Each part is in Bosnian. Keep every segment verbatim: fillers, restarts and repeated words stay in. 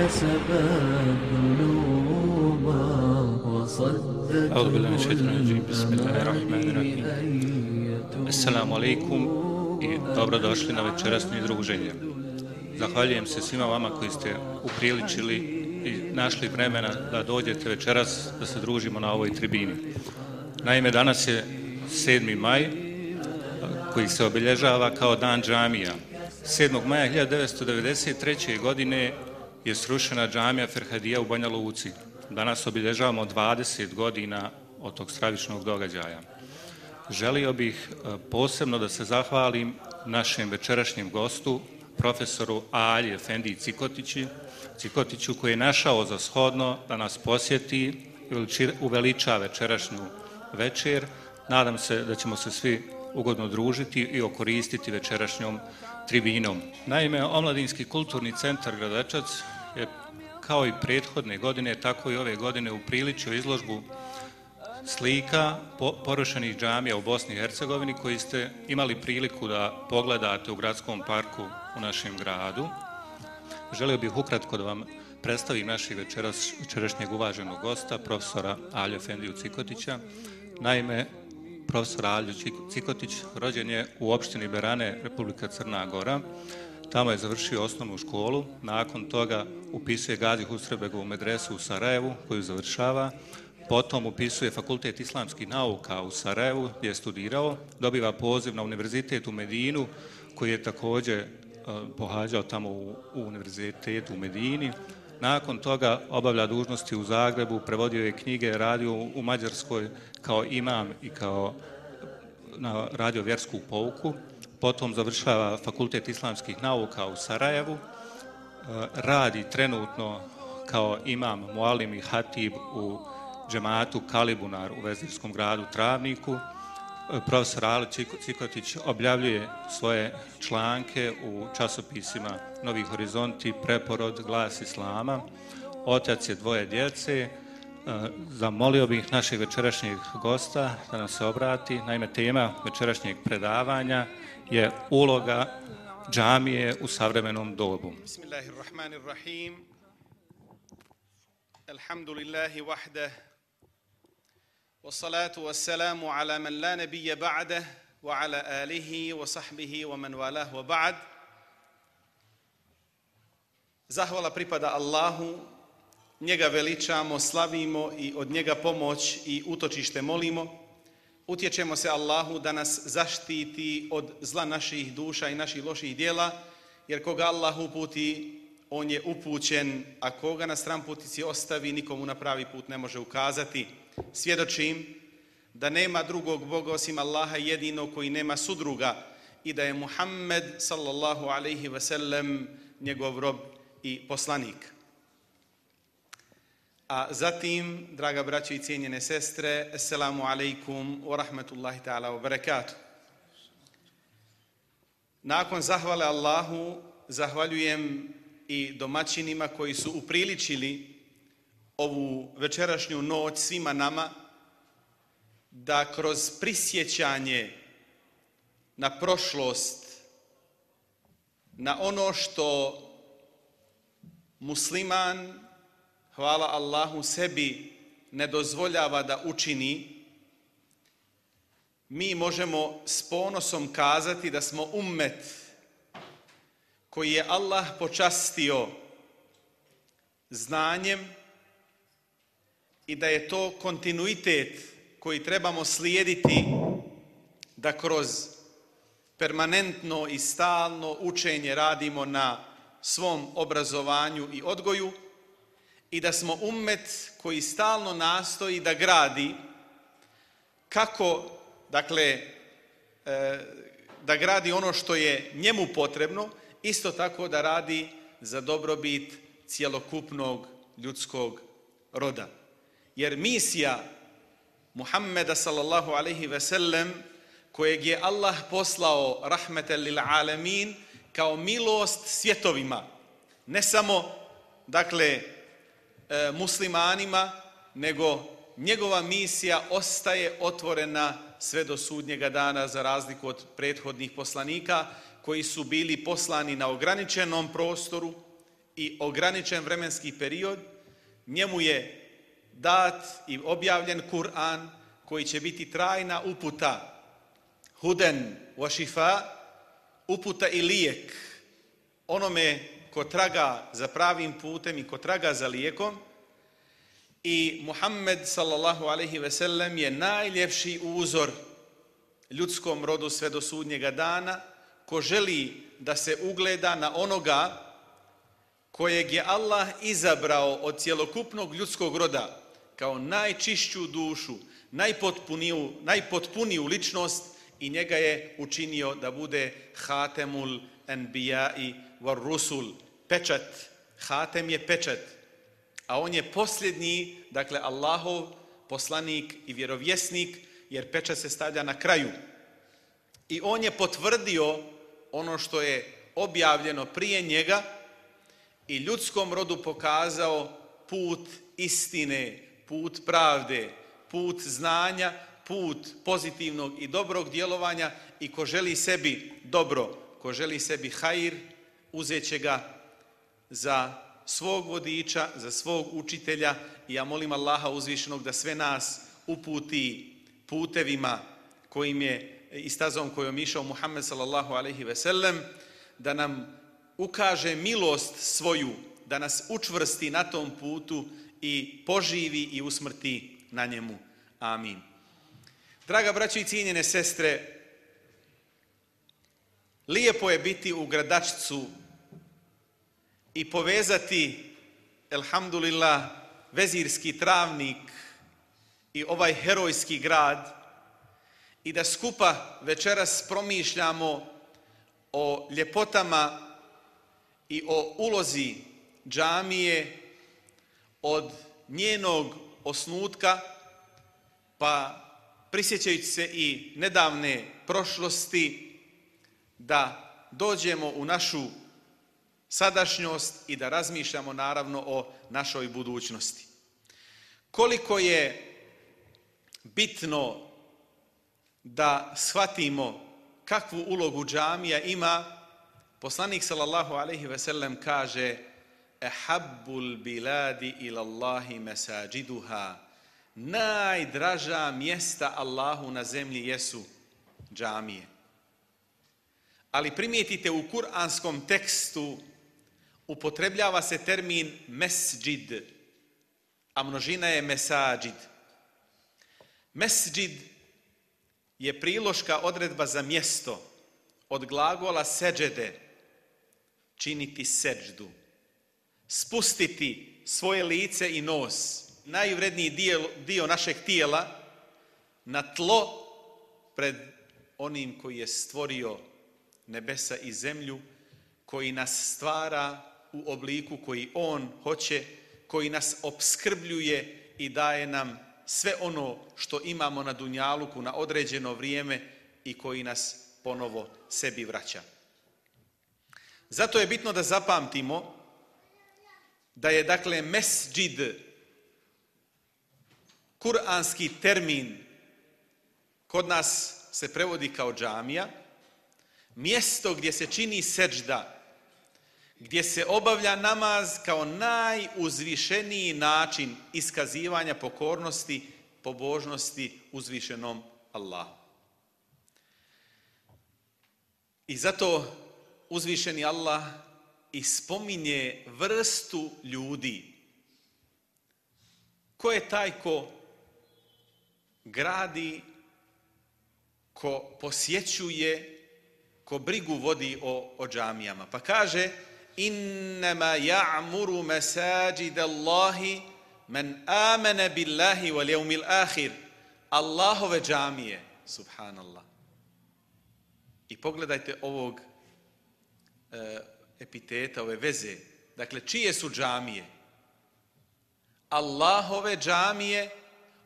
كسبت ذنوبا وصدت أعوذ بالله من الشيطان الرجيم بسم الله الرحمن الرحيم Assalamu alaikum i dobrodošli na večerasno druženje. Zahvaljujem se svima vama koji ste upriličili i našli vremena da dođete večeras da se družimo na ovoj tribini. Naime, danas je sedmi maj koji se obilježava kao dan džamija. sedmog maja hiljadu devetsto devedeset treće. godine je srušena džamija Ferhadija u Banja Luci. Danas obilježavamo dvadeset godina od tog stravičnog događaja. Želio bih posebno da se zahvalim našem večerašnjem gostu, profesoru Alji Efendiji Cikotići, Cikotiću koji je našao za shodno da nas posjeti i uveliča večerašnju večer. Nadam se da ćemo se svi ugodno družiti i okoristiti večerašnjom tribinom. Naime, Omladinski kulturni centar Gradečac je kao i prethodne godine, tako i ove godine upriličio izložbu slika porušenih džamija u Bosni i Hercegovini koji ste imali priliku da pogledate u gradskom parku u našem gradu. Želio bih ukratko da vam predstavim našeg večeras, večerašnjeg uvaženog gosta, profesora Alju Efendiju Cikotića. Naime, profesor Aljo Cikotić rođen je u opštini Berane, Republika Crna Gora. Tamo je završio osnovnu školu, nakon toga upisuje Gazi Husrebegovu medresu u Sarajevu koju završava. Potom upisuje Fakultet islamskih nauka u Sarajevu gdje je studirao, dobiva poziv na univerzitet u Medinu koji je također uh, pohađao tamo u, u univerzitetu u Medini. Nakon toga obavlja dužnosti u Zagrebu, prevodio je knjige, radio u Mađarskoj kao imam i kao na, radio vjersku pouku. Potom završava Fakultet islamskih nauka u Sarajevu, uh, radi trenutno kao imam, mualim i hatib u džematu Kalibunar u Vezirskom gradu Travniku. Profesor Aljo Cikotić objavljuje svoje članke u časopisima Novi horizonti, Preporod, Glas Islama. Otac je dvoje djece. Zamolio bih našeg večerašnjeg gosta da nam se obrati. Naime, tema večerašnjeg predavanja je uloga džamije u savremenom dobu. Bismillahirrahmanirrahim. Alhamdulillahi wahdah. والصلاة والسلام على من لا نبي بعده وعلى آله وصحبه ومن والاه وبعد. Zahvala pripada Allahu, njega veličamo, slavimo i od njega pomoć i utočište molimo. Utječemo se Allahu da nas zaštiti od zla naših duša i naših loših djela, jer koga Allah uputi, on je upućen, a koga na stranputici ostavi, nikomu na pravi put ne može ukazati. Svjedočim da nema drugog Boga osim Allaha jedinog koji nema sudruga i da je Muhammed sallallahu alaihi ve sellem njegov rob i poslanik. A zatim, draga braćo i cijenjene sestre, assalamu alaikum wa rahmatullahi ta'ala wa barakatuh. Nakon zahvale Allahu, zahvaljujem i domaćinima koji su upriličili ovu večerašnju noć svima nama da kroz prisjećanje na prošlost, na ono što musliman, hvala Allahu, sebi ne dozvoljava da učini, mi možemo s ponosom kazati da smo ummet koji je Allah počastio znanjem i da je to kontinuitet koji trebamo slijediti da kroz permanentno i stalno učenje radimo na svom obrazovanju i odgoju i da smo ummet koji stalno nastoji da gradi kako, dakle, da gradi ono što je njemu potrebno, isto tako da radi za dobrobit cjelokupnog ljudskog roda. Jer misija Muhammeda sallallahu alaihi ve sellem, kojeg je Allah poslao rahmeten lil alamin kao milost svjetovima, ne samo, dakle, muslimanima, nego njegova misija ostaje otvorena sve do sudnjega dana, za razliku od prethodnih poslanika koji su bili poslani na ograničenom prostoru i ograničen vremenski period, njemu je dat i objavljen Kur'an koji će biti trajna uputa, huden wa šifa, uputa i lijek onome ko traga za pravim putem i ko traga za lijekom. I Muhammed sallallahu alejhi ve sellem je najljepši uzor ljudskom rodu sve do sudnjega dana, ko želi da se ugleda na onoga kojeg je Allah izabrao od cjelokupnog ljudskog roda kao najčišću dušu, najpotpuniju, najpotpuniju ličnost i njega je učinio da bude hatemul enbijai var rusul, pečat. Hatem je pečat, a on je posljednji, dakle Allahov poslanik i vjerovjesnik, jer pečat se stavlja na kraju. I on je potvrdio ono što je objavljeno prije njega i ljudskom rodu pokazao put istine, put pravde, put znanja, put pozitivnog i dobrog djelovanja i ko želi sebi dobro, ko želi sebi hajir, uzet će ga za svog vodiča, za svog učitelja i ja molim Allaha uzvišenog da sve nas uputi putevima kojim je i stazom kojom išao Muhammed sallallahu alejhi ve sellem, da nam ukaže milost svoju, da nas učvrsti na tom putu i poživi i usmrti na njemu. Amin. Draga braćo i cijenjene sestre, lijepo je biti u Gradačcu i povezati, elhamdulillah, vezirski travnik i ovaj herojski grad i da skupa večeras promišljamo o ljepotama i o ulozi džamije od njenog osnutka, pa prisjećajući se i nedavne prošlosti, da dođemo u našu sadašnjost i da razmišljamo naravno o našoj budućnosti. Koliko je bitno da shvatimo kakvu ulogu džamija ima, poslanik sallallahu alejhi ve sellem kaže: "Ehabbul biladi ila Allahi masajiduha." Najdraža mjesta Allahu na zemlji jesu džamije. Ali primijetite, u kuranskom tekstu upotrebljava se termin mesdžid, a množina je mesadžid. Mesdžid je priloška odredba za mjesto od glagola seđede, činiti seđdu, spustiti svoje lice i nos, najvredniji dio, dio našeg tijela, na tlo pred onim koji je stvorio nebesa i zemlju, koji nas stvara u obliku koji on hoće, koji nas opskrbljuje i daje nam sve ono što imamo na dunjaluku na određeno vrijeme i koji nas ponovo sebi vraća. Zato je bitno da zapamtimo da je, dakle, mesdžid kuranski termin, kod nas se prevodi kao džamija, mjesto gdje se čini seđda, gdje se obavlja namaz kao najuzvišeniji način iskazivanja pokornosti, pobožnosti uzvišenom Allahu. I zato uzvišeni Allah ispominje vrstu ljudi. Ko je taj ko gradi, ko posjećuje, ko brigu vodi o, o džamijama? Pa kaže: "Innama ya'muru masajid Allahi man amana billahi wal yawmil akhir." Allahove džamije, subhanallah. I pogledajte ovog e, epiteta, ove veze. Dakle, čije su džamije? Allahove džamije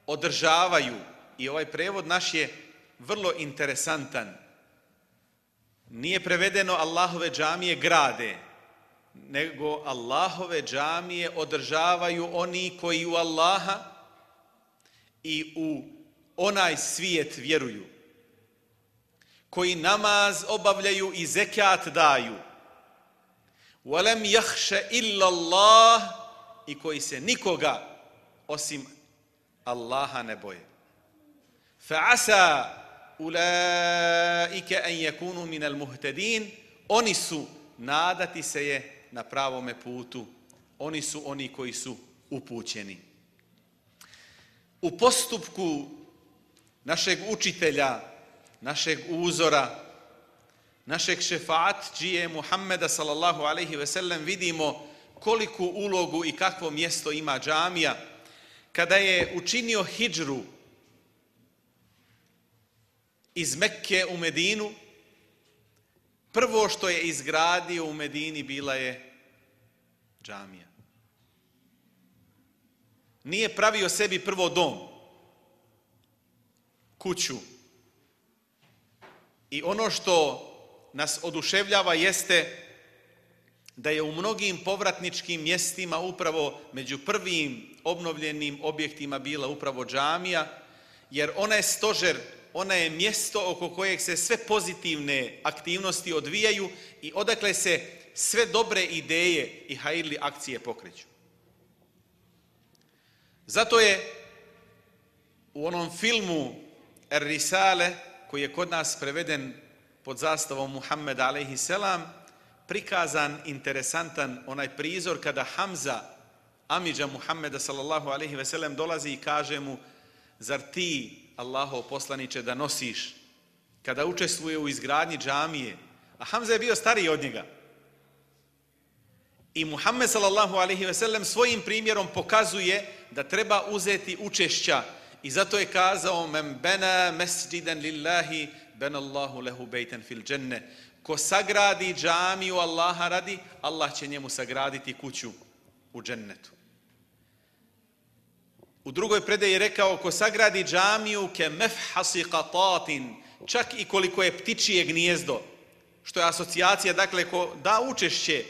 održavaju, i ovaj prevod naš je vrlo interesantan. Nije prevedeno Allahove džamije grade, nego Allahove džamije održavaju oni koji u Allaha i u onaj svijet vjeruju, koji namaz obavljaju i zekat daju, وَلَمْ يَخْشَ إِلَّا اللَّهِ i koji se nikoga osim Allaha ne boje. فَعَسَى أُولَٰئِكَ أَنْ يَكُونُوا مِنَ الْمُهْتَدِينَ Oni su, nadati se je na pravome putu. Oni su oni koji su upućeni. U postupku našeg učitelja, našeg uzora, našeg šefaatđije Muhammeda sallallahu alejhi ve sellem vidimo koliku ulogu i kakvo mjesto ima džamija. Kada je učinio hidžru iz Mekke u Medinu, prvo što je izgradio u Medini bila je džamija. Nije pravio sebi prvo dom, kuću. I ono što nas oduševljava jeste da je u mnogim povratničkim mjestima upravo među prvim obnovljenim objektima bila upravo džamija, jer ona je stožer, ona je mjesto oko kojeg se sve pozitivne aktivnosti odvijaju i odakle se sve dobre ideje i hajrli akcije pokreću. Zato je u onom filmu Er-Risale, koji je kod nas preveden pod zastavom Muhammeda alejhi selam, prikazan interesantan onaj prizor kada Hamza, amidža Muhammeda sallallahu alejhi ve sellem, dolazi i kaže mu: zar ti, Allahov poslaniče, da nosiš kada učestvuje u izgradnji džamije? A Hamza je bio stariji od njega. I Muhammed sallallahu alejhi ve sellem svojim primjerom pokazuje da treba uzeti učešća i zato je kazao: men bana masjidan lillahi bana Allahu lahu bejtan fil dženne. Ko sagradi džamiju Allaha radi, Allah će njemu sagraditi kuću u džennetu. U drugoj predaji je rekao: ko sagradi džamiju ke mefhasi qatatin, čak i koliko je ptičije gnijezdo, što je asocijacija, dakle, ko da učešće,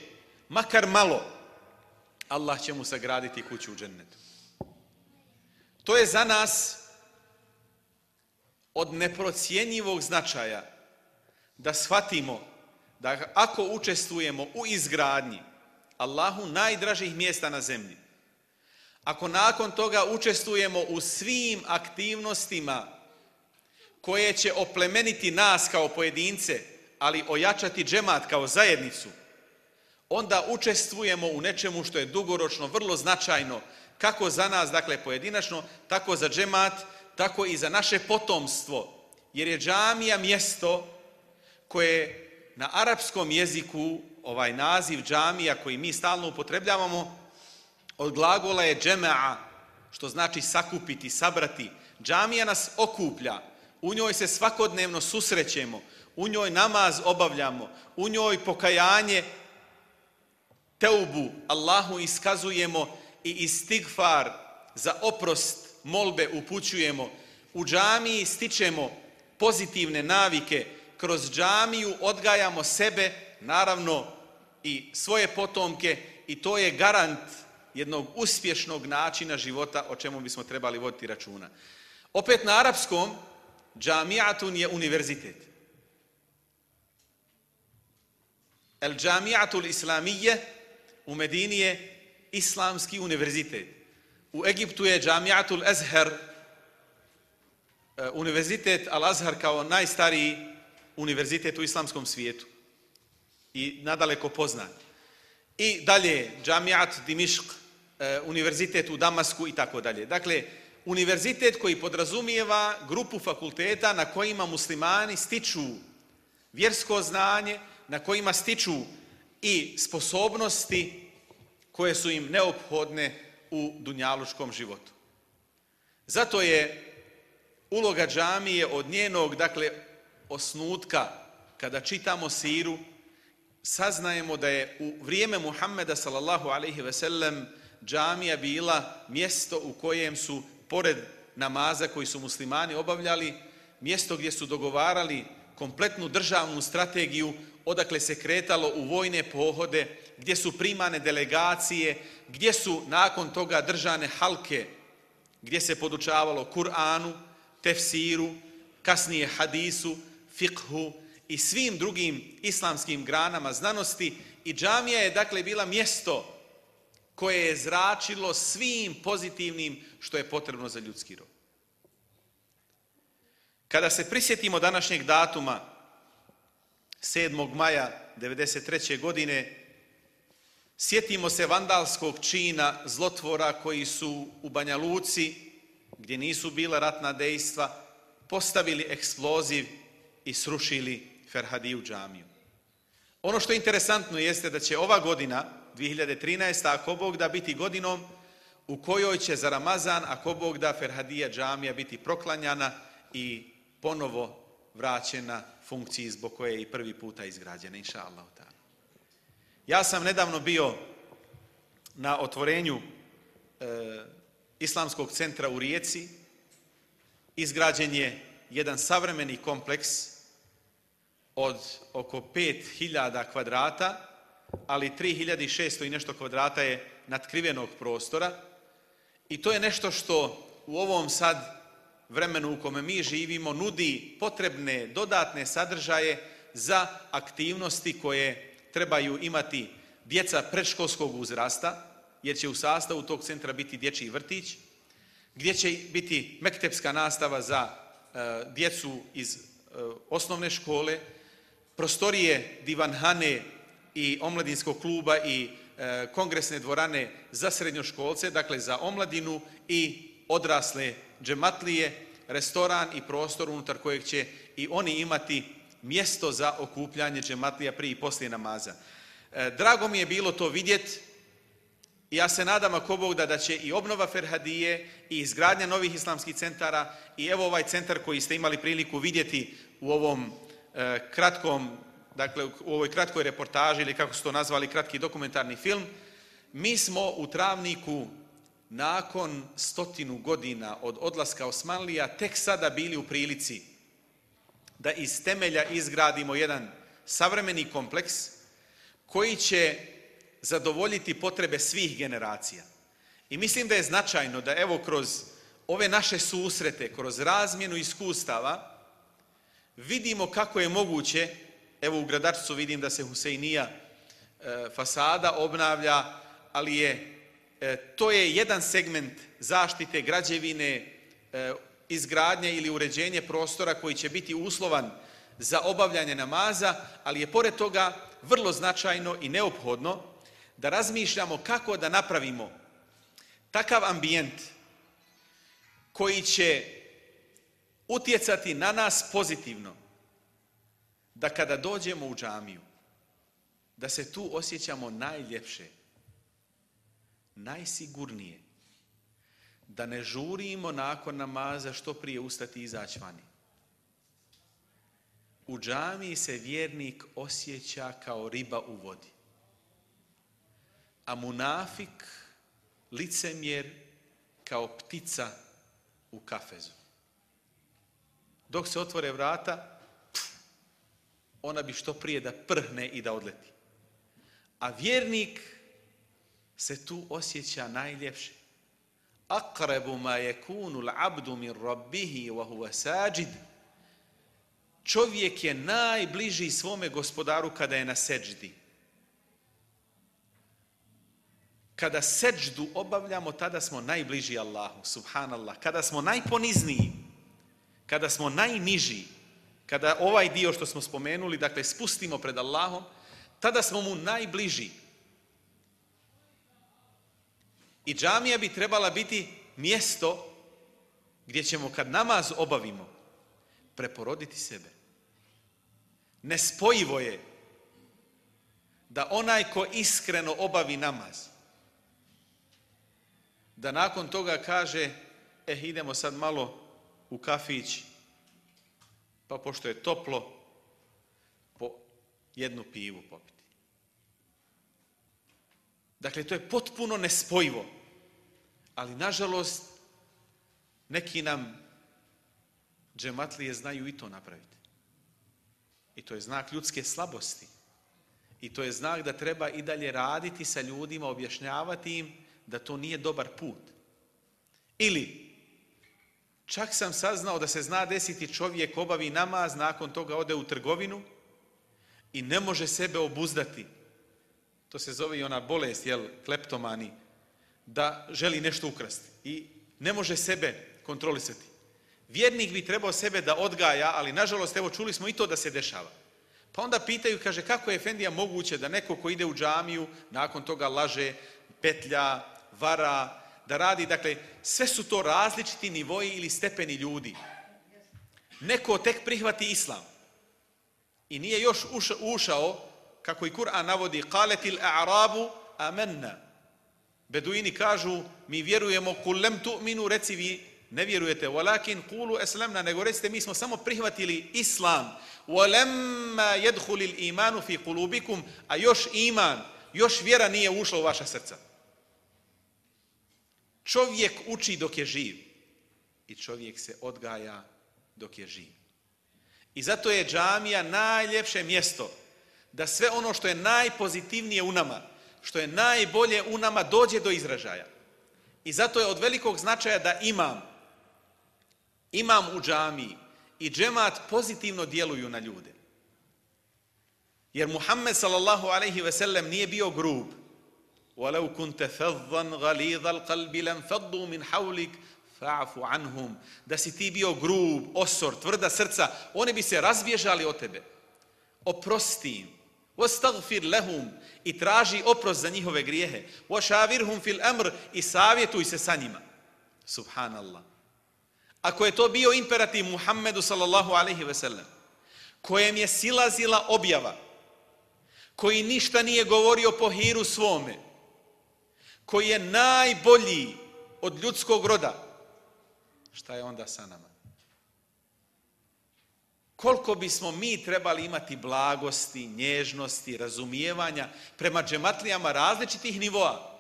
makar malo, Allah će mu sagraditi kuću u džennetu. To je za nas od neprocjenjivog značaja da shvatimo da ako učestvujemo u izgradnji Allahu najdražih mjesta na zemlji, ako nakon toga učestvujemo u svim aktivnostima koje će oplemeniti nas kao pojedince, ali ojačati džemat kao zajednicu, onda učestvujemo u nečemu što je dugoročno vrlo značajno, kako za nas, dakle pojedinačno, tako za džemat, tako i za naše potomstvo. Jer je džamija mjesto koje na arapskom jeziku, ovaj naziv džamija koji mi stalno upotrebljavamo, od glagola je džema'a, što znači sakupiti, sabrati. Džamija nas okuplja, u njoj se svakodnevno susrećemo, u njoj namaz obavljamo, u njoj pokajanje, teubu Allahu iskazujemo i istigfar za oprost molbe upućujemo. U džamiji stičemo pozitivne navike, kroz džamiju odgajamo sebe, naravno i svoje potomke, i to je garant jednog uspješnog načina života o čemu bismo trebali voditi računa. Opet na arapskom, džamiatun je univerzitet. El džamiatul islamije u Medini je islamski univerzitet. U Egiptu je džamiatul Azhar, univerzitet Al-Azhar kao najstariji univerzitet u islamskom svijetu i nadaleko poznat. I dalje džamiat Dimišk, univerzitet u Damasku i tako dalje. Dakle, univerzitet koji podrazumijeva grupu fakulteta na kojima muslimani stiču vjersko znanje, na kojima stiču i sposobnosti koje su im neophodne u dunjaluškom životu. Zato je uloga džamije od njenog, dakle, osnutka, kada čitamo siru, saznajemo da je u vrijeme Muhammeda sallallahu alejhi ve sellem džamija bila mjesto u kojem su, pored namaza koji su muslimani obavljali, mjesto gdje su dogovarali kompletnu državnu strategiju, odakle se kretalo u vojne pohode, gdje su primane delegacije, gdje su nakon toga držane halke, gdje se podučavalo Kur'anu, tefsiru, kasnije hadisu, fikhu i svim drugim islamskim granama znanosti i džamija je dakle bila mjesto koje je zračilo svim pozitivnim što je potrebno za ljudski rod. Kada se prisjetimo današnjeg datuma, sedmog maja devedeset treće. godine, sjetimo se vandalskog čina zlotvora koji su u Banja Luci, gdje nisu bila ratna dejstva, postavili eksploziv i srušili Ferhadiju džamiju. Ono što je interesantno jeste da će ova godina, dvije hiljade trinaesta. ako Bog da, biti godinom u kojoj će za Ramazan, ako Bog da, Ferhadija džamija biti proklanjana i ponovo vraćena funkciji zbog koje je i prvi puta izgrađena, inša Allah. Ja sam nedavno bio na otvorenju e, Islamskog centra u Rijeci. Izgrađen je jedan savremeni kompleks od oko pet hiljada kvadrata, ali tri hiljade šesto i nešto kvadrata je natkrivenog prostora i to je nešto što u ovom sad vremenu u kome mi živimo nudi potrebne dodatne sadržaje za aktivnosti koje trebaju imati djeca predškolskog uzrasta, jer će u sastavu tog centra biti dječji vrtić, gdje će biti mektepska nastava za e, djecu iz e, osnovne škole, prostorije divanhane i omladinskog kluba i e, kongresne dvorane za srednjoškolce, dakle za omladinu i odrasle džematlije, restoran i prostor unutar kojeg će i oni imati mjesto za okupljanje džematlija prije i poslije namaza. E, drago mi je bilo to vidjeti. Ja se nadam, ako Bog da, da će i obnova Ferhadije i izgradnja novih islamskih centara i evo ovaj centar koji ste imali priliku vidjeti u ovom e, kratkom, dakle u ovoj kratkoj reportaži ili kako su to nazvali, kratki dokumentarni film. Mi smo u Travniku nakon stotinu godina od odlaska Osmanlija tek sada bili u prilici da iz temelja izgradimo jedan savremeni kompleks koji će zadovoljiti potrebe svih generacija. I mislim da je značajno da evo kroz ove naše susrete, kroz razmjenu iskustava, vidimo kako je moguće, evo u Gradačcu vidim da se Husejnija e, fasada obnavlja, ali je, e, to je jedan segment zaštite građevine, e, izgradnje ili uređenje prostora koji će biti uslovan za obavljanje namaza, ali je pored toga vrlo značajno i neophodno da razmišljamo kako da napravimo takav ambijent koji će utjecati na nas pozitivno, da kada dođemo u džamiju, da se tu osjećamo najljepše, najsigurnije, da ne žurimo nakon namaza što prije ustati i izaći vani. U džamiji se vjernik osjeća kao riba u vodi, a munafik, licemjer, kao ptica u kafezu. Dok se otvore vrata, ona bi što prije da prhne i da odleti. A vjernik se tu osjeća najljepše. Aqrabu ma yakunu al-'abdu min rabbihi wa huwa sajid. Čovjek je najbliži svome gospodaru kada je na seđdi. Kada seđdu obavljamo, tada smo najbliži Allahu, subhanallah. Kada smo najponizniji, kada smo najniži, kada ovaj dio što smo spomenuli, dakle spustimo pred Allahom, tada smo mu najbliži. I džamija bi trebala biti mjesto gdje ćemo kad namaz obavimo preporoditi sebe. Nespojivo je da onaj ko iskreno obavi namaz, da nakon toga kaže, eh, idemo sad malo u kafić, pa pošto je toplo, po jednu pivu popiti. Dakle, to je potpuno nespojivo. Ali, nažalost, neki nam džematlije znaju i to napraviti. I to je znak ljudske slabosti. I to je znak da treba i dalje raditi sa ljudima, objašnjavati im da to nije dobar put. Ili, čak sam saznao da se zna desiti čovjek obavi namaz, nakon toga ode u trgovinu i ne može sebe obuzdati. To se zove i ona bolest, jel, kleptomani, da želi nešto ukrasti i ne može sebe kontrolisati. Vjernik bi trebao sebe da odgaja, ali nažalost, evo čuli smo i to da se dešava. Pa onda pitaju, kaže, kako je efendija moguće da neko ko ide u džamiju, nakon toga laže, petlja, vara, da radi, dakle, sve su to različiti nivoji ili stepeni ljudi. Neko tek prihvati islam i nije još ušao, kako i Kur'an navodi, qaletil a'rabu amanna. Beduini kažu, mi vjerujemo, kul lem tu'minu, reci vi ne vjerujete, walakin qulu aslamna, nego recite mi smo samo prihvatili islam. Walamma yadkhulul imanu fi qulubikum, a još iman, još vjera nije ušla u vaša srca. Čovjek uči dok je živ i čovjek se odgaja dok je živ. I zato je džamija najljepše mjesto da sve ono što je najpozitivnije u nama, što je najbolje u nama dođe do izražaja. I zato je od velikog značaja da imam, imam u džamiji i džemat pozitivno djeluju na ljude. Jer Muhammed sallallahu alejhi ve sellem nije bio grub. وَلَوْ كُنْتَ فَضًّا غَلِيظَ الْقَلْبِ لَنْفَضُّوا مِنْ حَوْلِكَ فَاعْفُ عَنْهُمْ. Da si ti bio grub, osor, tvrda srca, oni bi se razbježali od tebe. Oprosti im. وَاسْتَغْفِرْ لَهُمْ. I traži oprost za njihove grijehe. وَشَاوِرْهُمْ فِي الْأَمْرِ. I savjetuj se sa njima. Subhanallah. Ako je to bio imperativ Muhammedu sallallahu alejhi ve sellem, kojem je silazila objava, koji ništa nije govorio po hiru svome, koji je najbolji od ljudskog roda, šta je onda sa nama? Koliko bismo mi trebali imati blagosti, nježnosti, razumijevanja prema džematlijama različitih nivoa?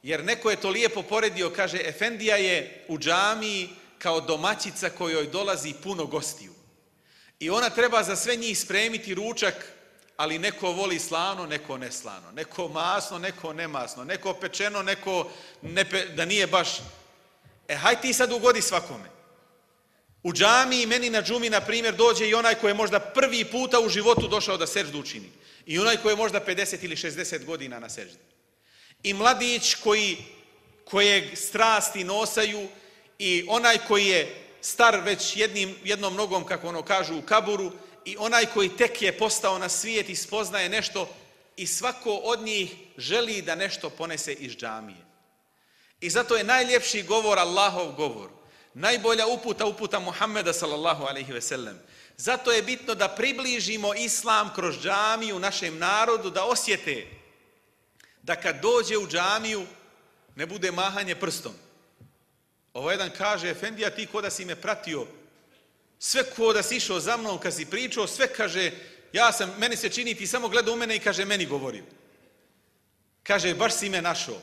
Jer neko je to lijepo poredio, kaže, efendija je u džamiji kao domaćica kojoj dolazi puno gostiju. I ona treba za sve njih spremiti ručak, ali neko voli slano, neko neslano, neko masno, neko nemasno, neko pečeno, neko ne pe, da nije baš. E, haj ti sad ugodi svakome. U džamiji, meni na džumi, na primjer, dođe i onaj koji je možda prvi puta u životu došao da seždu učini. I onaj koji je možda pedeset ili šezdeset godina na seždi. I mladić koji, kojeg strasti nosaju, i onaj koji je star već jednim, jednom nogom, kako ono kažu, u kaburu, i onaj koji tek je postao na svijet i spoznaje nešto, i svako od njih želi da nešto ponese iz džamije. I zato je najljepši govor Allahov govor. Najbolja uputa, uputa Muhammeda sallallahu alejhi ve sellem. Zato je bitno da približimo islam kroz džamiju našem narodu, da osjete da kad dođe u džamiju ne bude mahanje prstom. Ovo jedan kaže, efendija, ti ko da si me pratio, sve ko da si išao za mnom kad si pričao, sve kaže, ja sam, meni se čini, ti samo gleda u mene i kaže, meni govorio. Kaže, baš si me našao.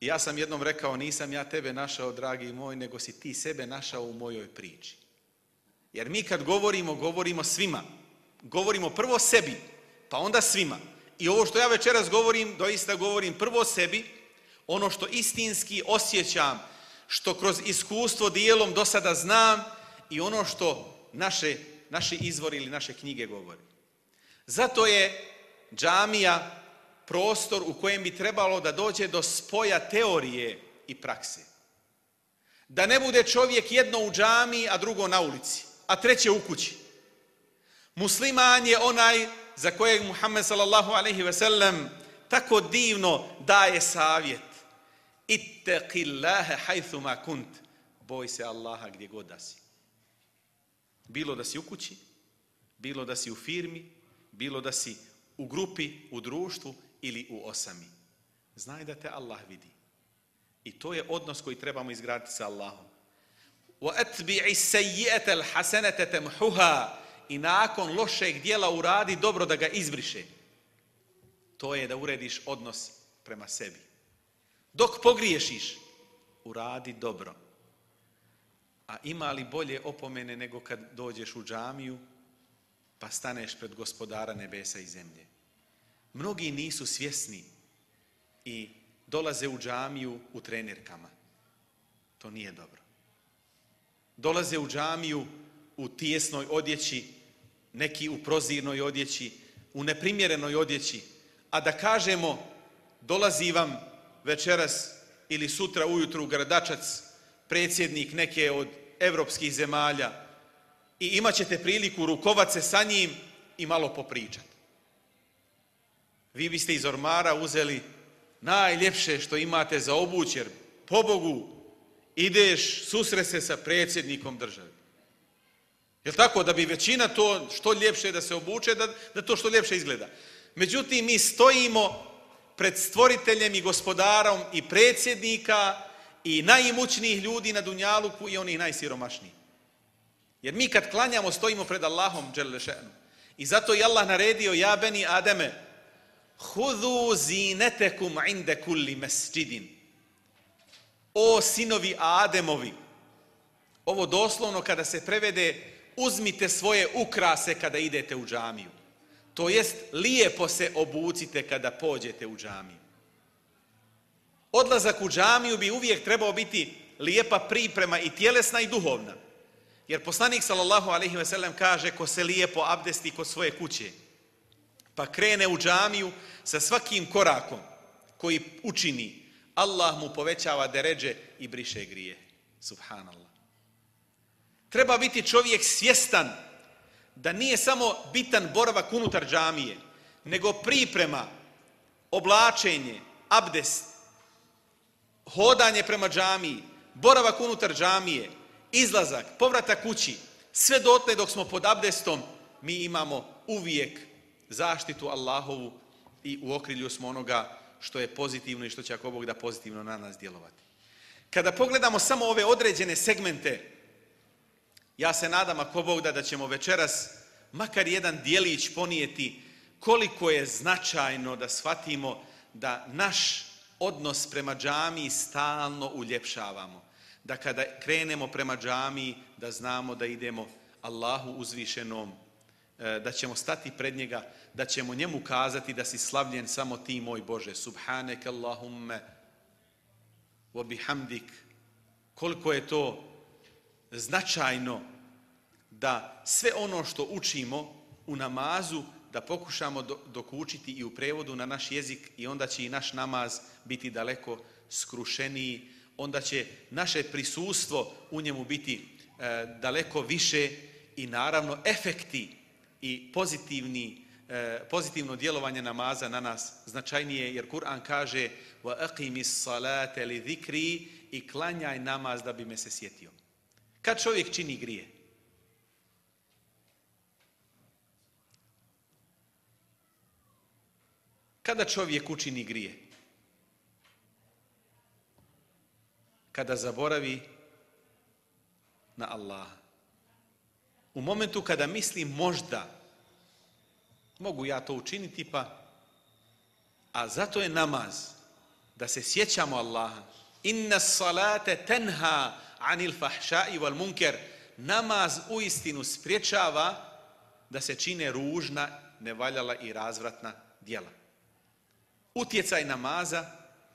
I ja sam jednom rekao, nisam ja tebe našao, dragi moj, nego si ti sebe našao u mojoj priči. Jer mi kad govorimo, govorimo svima. Govorimo prvo sebi, pa onda svima. I ovo što ja večeras govorim, doista govorim prvo sebi, ono što istinski osjećam, što kroz iskustvo dijelom do sada znam i ono što naše, naši izvori ili naše knjige govori. Zato je džamija prostor u kojem bi trebalo da dođe do spoja teorije i prakse. Da ne bude čovjek jedno u džamiji, a drugo na ulici, a treće u kući. Musliman je onaj za kojeg Muhammed sallallahu alejhi ve sellem tako divno daje savjet. Ittaqillaha haythuma kunt. Boj se Allaha gdje god da si. Bilo da si u kući, bilo da si u firmi, bilo da si u grupi, u društvu ili u osami. Znaj da te Allah vidi. I to je odnos koji trebamo izgraditi sa Allahom. وَأَتْبِعِ السَّيِّئَةَ الْحَسَنَةَ تَمْحُهَا. I nakon lošeg dijela uradi dobro da ga izbriše. To je da urediš odnos prema sebi. Dok pogriješiš, uradi dobro. A ima li bolje opomene nego kad dođeš u džamiju pa staneš pred gospodara nebesa i zemlje? Mnogi nisu svjesni i dolaze u džamiju u trenirkama. To nije dobro. Dolaze u džamiju u tijesnoj odjeći neki u prozirnoj odjeći, u neprimjerenoj odjeći, a da kažemo dolazi vam večeras ili sutra ujutru u Gradačac predsjednik neke od evropskih zemalja i imat ćete priliku rukovat se sa njim i malo popričati. Vi biste iz ormara uzeli najljepše što imate za obuć, jer pobogu ideš susret se sa predsjednikom države. Jel tako? Da bi većina to što ljepše da se obuče, da, da to što ljepše izgleda. Međutim, mi stojimo pred stvoriteljem i gospodarom i predsjednika i najimućnijih ljudi na dunjaluku i onih najsiromašnijih. Jer mi kad klanjamo stojimo pred Allahom dželle še'nu. I zato je Allah naredio ja beni Ademe hudu zinetekum inde kulli mesđidin. O sinovi Ademovi. Ovo doslovno kada se prevede uzmite svoje ukrase kada idete u džamiju. To jest lijepo se obucite kada pođete u džamiju. Odlazak u džamiju bi uvijek trebao biti lijepa priprema i tjelesna i duhovna. Jer poslanik sallallahu alejhi ve sellem kaže ko se lijepo abdesti kod svoje kuće, pa krene u džamiju sa svakim korakom koji učini, Allah mu povećava deredže i briše grije. Subhanallah. Treba biti čovjek svjestan da nije samo bitan boravak unutar džamije, nego priprema, oblačenje, abdest, hodanje prema džamiji, boravak unutar džamije, izlazak, povratak kući, sve dotle dok smo pod abdestom, mi imamo uvijek zaštitu Allahovu i u okrilju smo onoga što je pozitivno i što će ako Bog da pozitivno na nas djelovati. Kada pogledamo samo ove određene segmente, ja se nadam ako Bog da da ćemo večeras makar jedan dijelić ponijeti koliko je značajno da shvatimo da naš odnos prema džamiji stalno uljepšavamo. Da kada krenemo prema džamiji, da znamo da idemo Allahu uzvišenom, da ćemo stati pred njega, da ćemo njemu kazati da si slavljen samo ti, moj Bože. Subhanek Allahumme wa bihamdik. Koliko je to značajno da sve ono što učimo u namazu, da pokušamo dokučiti i u prevodu na naš jezik i onda će i naš namaz biti daleko skrušeniji, onda će naše prisustvo u njemu biti e, daleko više i naravno efekti i pozitivni, e, pozitivno djelovanje namaza na nas značajnije, jer Kur'an kaže wa aqimis salate li zikri i klanjaj namaz da bi me se sjetio. Kad čovjek čini grije? Kada čovjek učini grije? Kada zaboravi na Allaha. U momentu kada misli možda mogu ja to učiniti pa, a zato je namaz da se sjećamo Allaha. Inna salate tenha anil fahšai wal munker. Namaz uistinu spriječava da se čine ružna, nevaljala i razvratna djela. Utjecaj namaza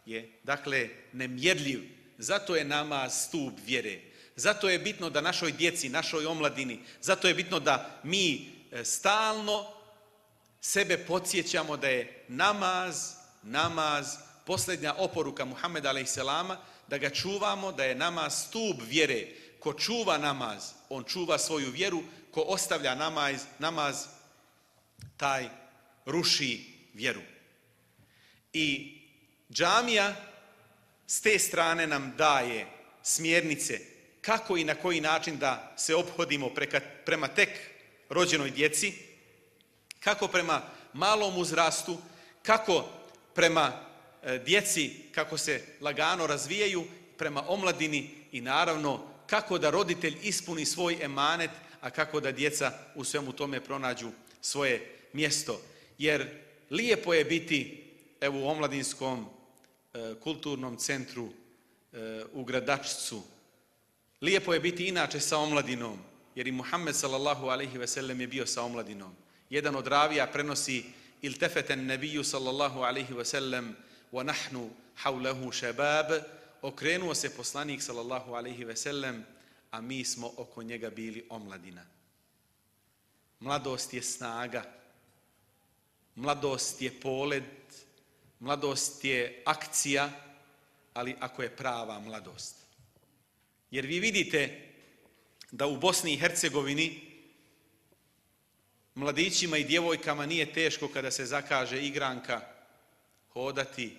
je, dakle, nemjerljiv. Zato je namaz stup vjere. Zato je bitno da našoj djeci, našoj omladini, zato je bitno da mi stalno sebe podsjećamo da je namaz, namaz, posljednja oporuka Muhammeda alejselama, da ga čuvamo, da je namaz stup vjere. Ko čuva namaz, on čuva svoju vjeru, ko ostavlja namaz, namaz taj ruši vjeru. I džamija s te strane nam daje smjernice kako i na koji način da se ophodimo preka, prema tek rođenoj djeci, kako prema malom uzrastu, kako prema e, djeci, kako se lagano razvijaju, prema omladini i naravno kako da roditelj ispuni svoj emanet, a kako da djeca u svemu tome pronađu svoje mjesto. Jer lijepo je biti evo u omladinskom e, kulturnom centru e, u Gradačcu. Lijepo je biti inače sa omladinom, jer i Muhammed sallallahu alejhi ve sellem je bio sa omladinom. Jedan od ravija prenosi iltefeten nebiju sallallahu alejhi ve sellem wa nahnu hawlahu shabab. Okrenuo se poslanik sallallahu alejhi ve sellem, a mi smo oko njega bili omladina. Mladost je snaga, mladost je polet, mladost je akcija, ali ako je prava mladost. Jer vi vidite da u Bosni i Hercegovini mladićima i djevojkama nije teško kada se zakaže igranka hodati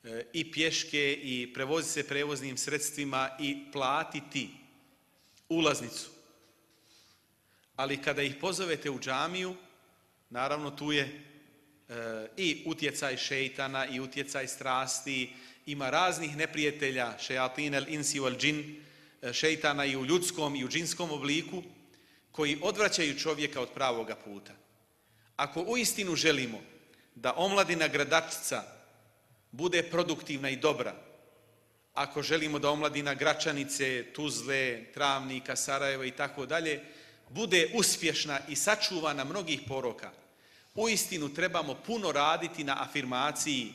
e, i pješke i prevoziti se prevoznim sredstvima i platiti ulaznicu. Ali kada ih pozovete u džamiju, naravno tu je e, i utjecaj šejtana i utjecaj strasti, ima raznih neprijatelja, šejatin el insi wal džin, šejtana i u ljudskom i u džinskom obliku, koji odvraćaju čovjeka od pravoga puta. Ako uistinu želimo da omladina Gradačca bude produktivna i dobra, ako želimo da omladina Gračanice, Tuzle, Travnika, Sarajeva i tako dalje, bude uspješna i sačuvana mnogih poroka, uistinu trebamo puno raditi na afirmaciji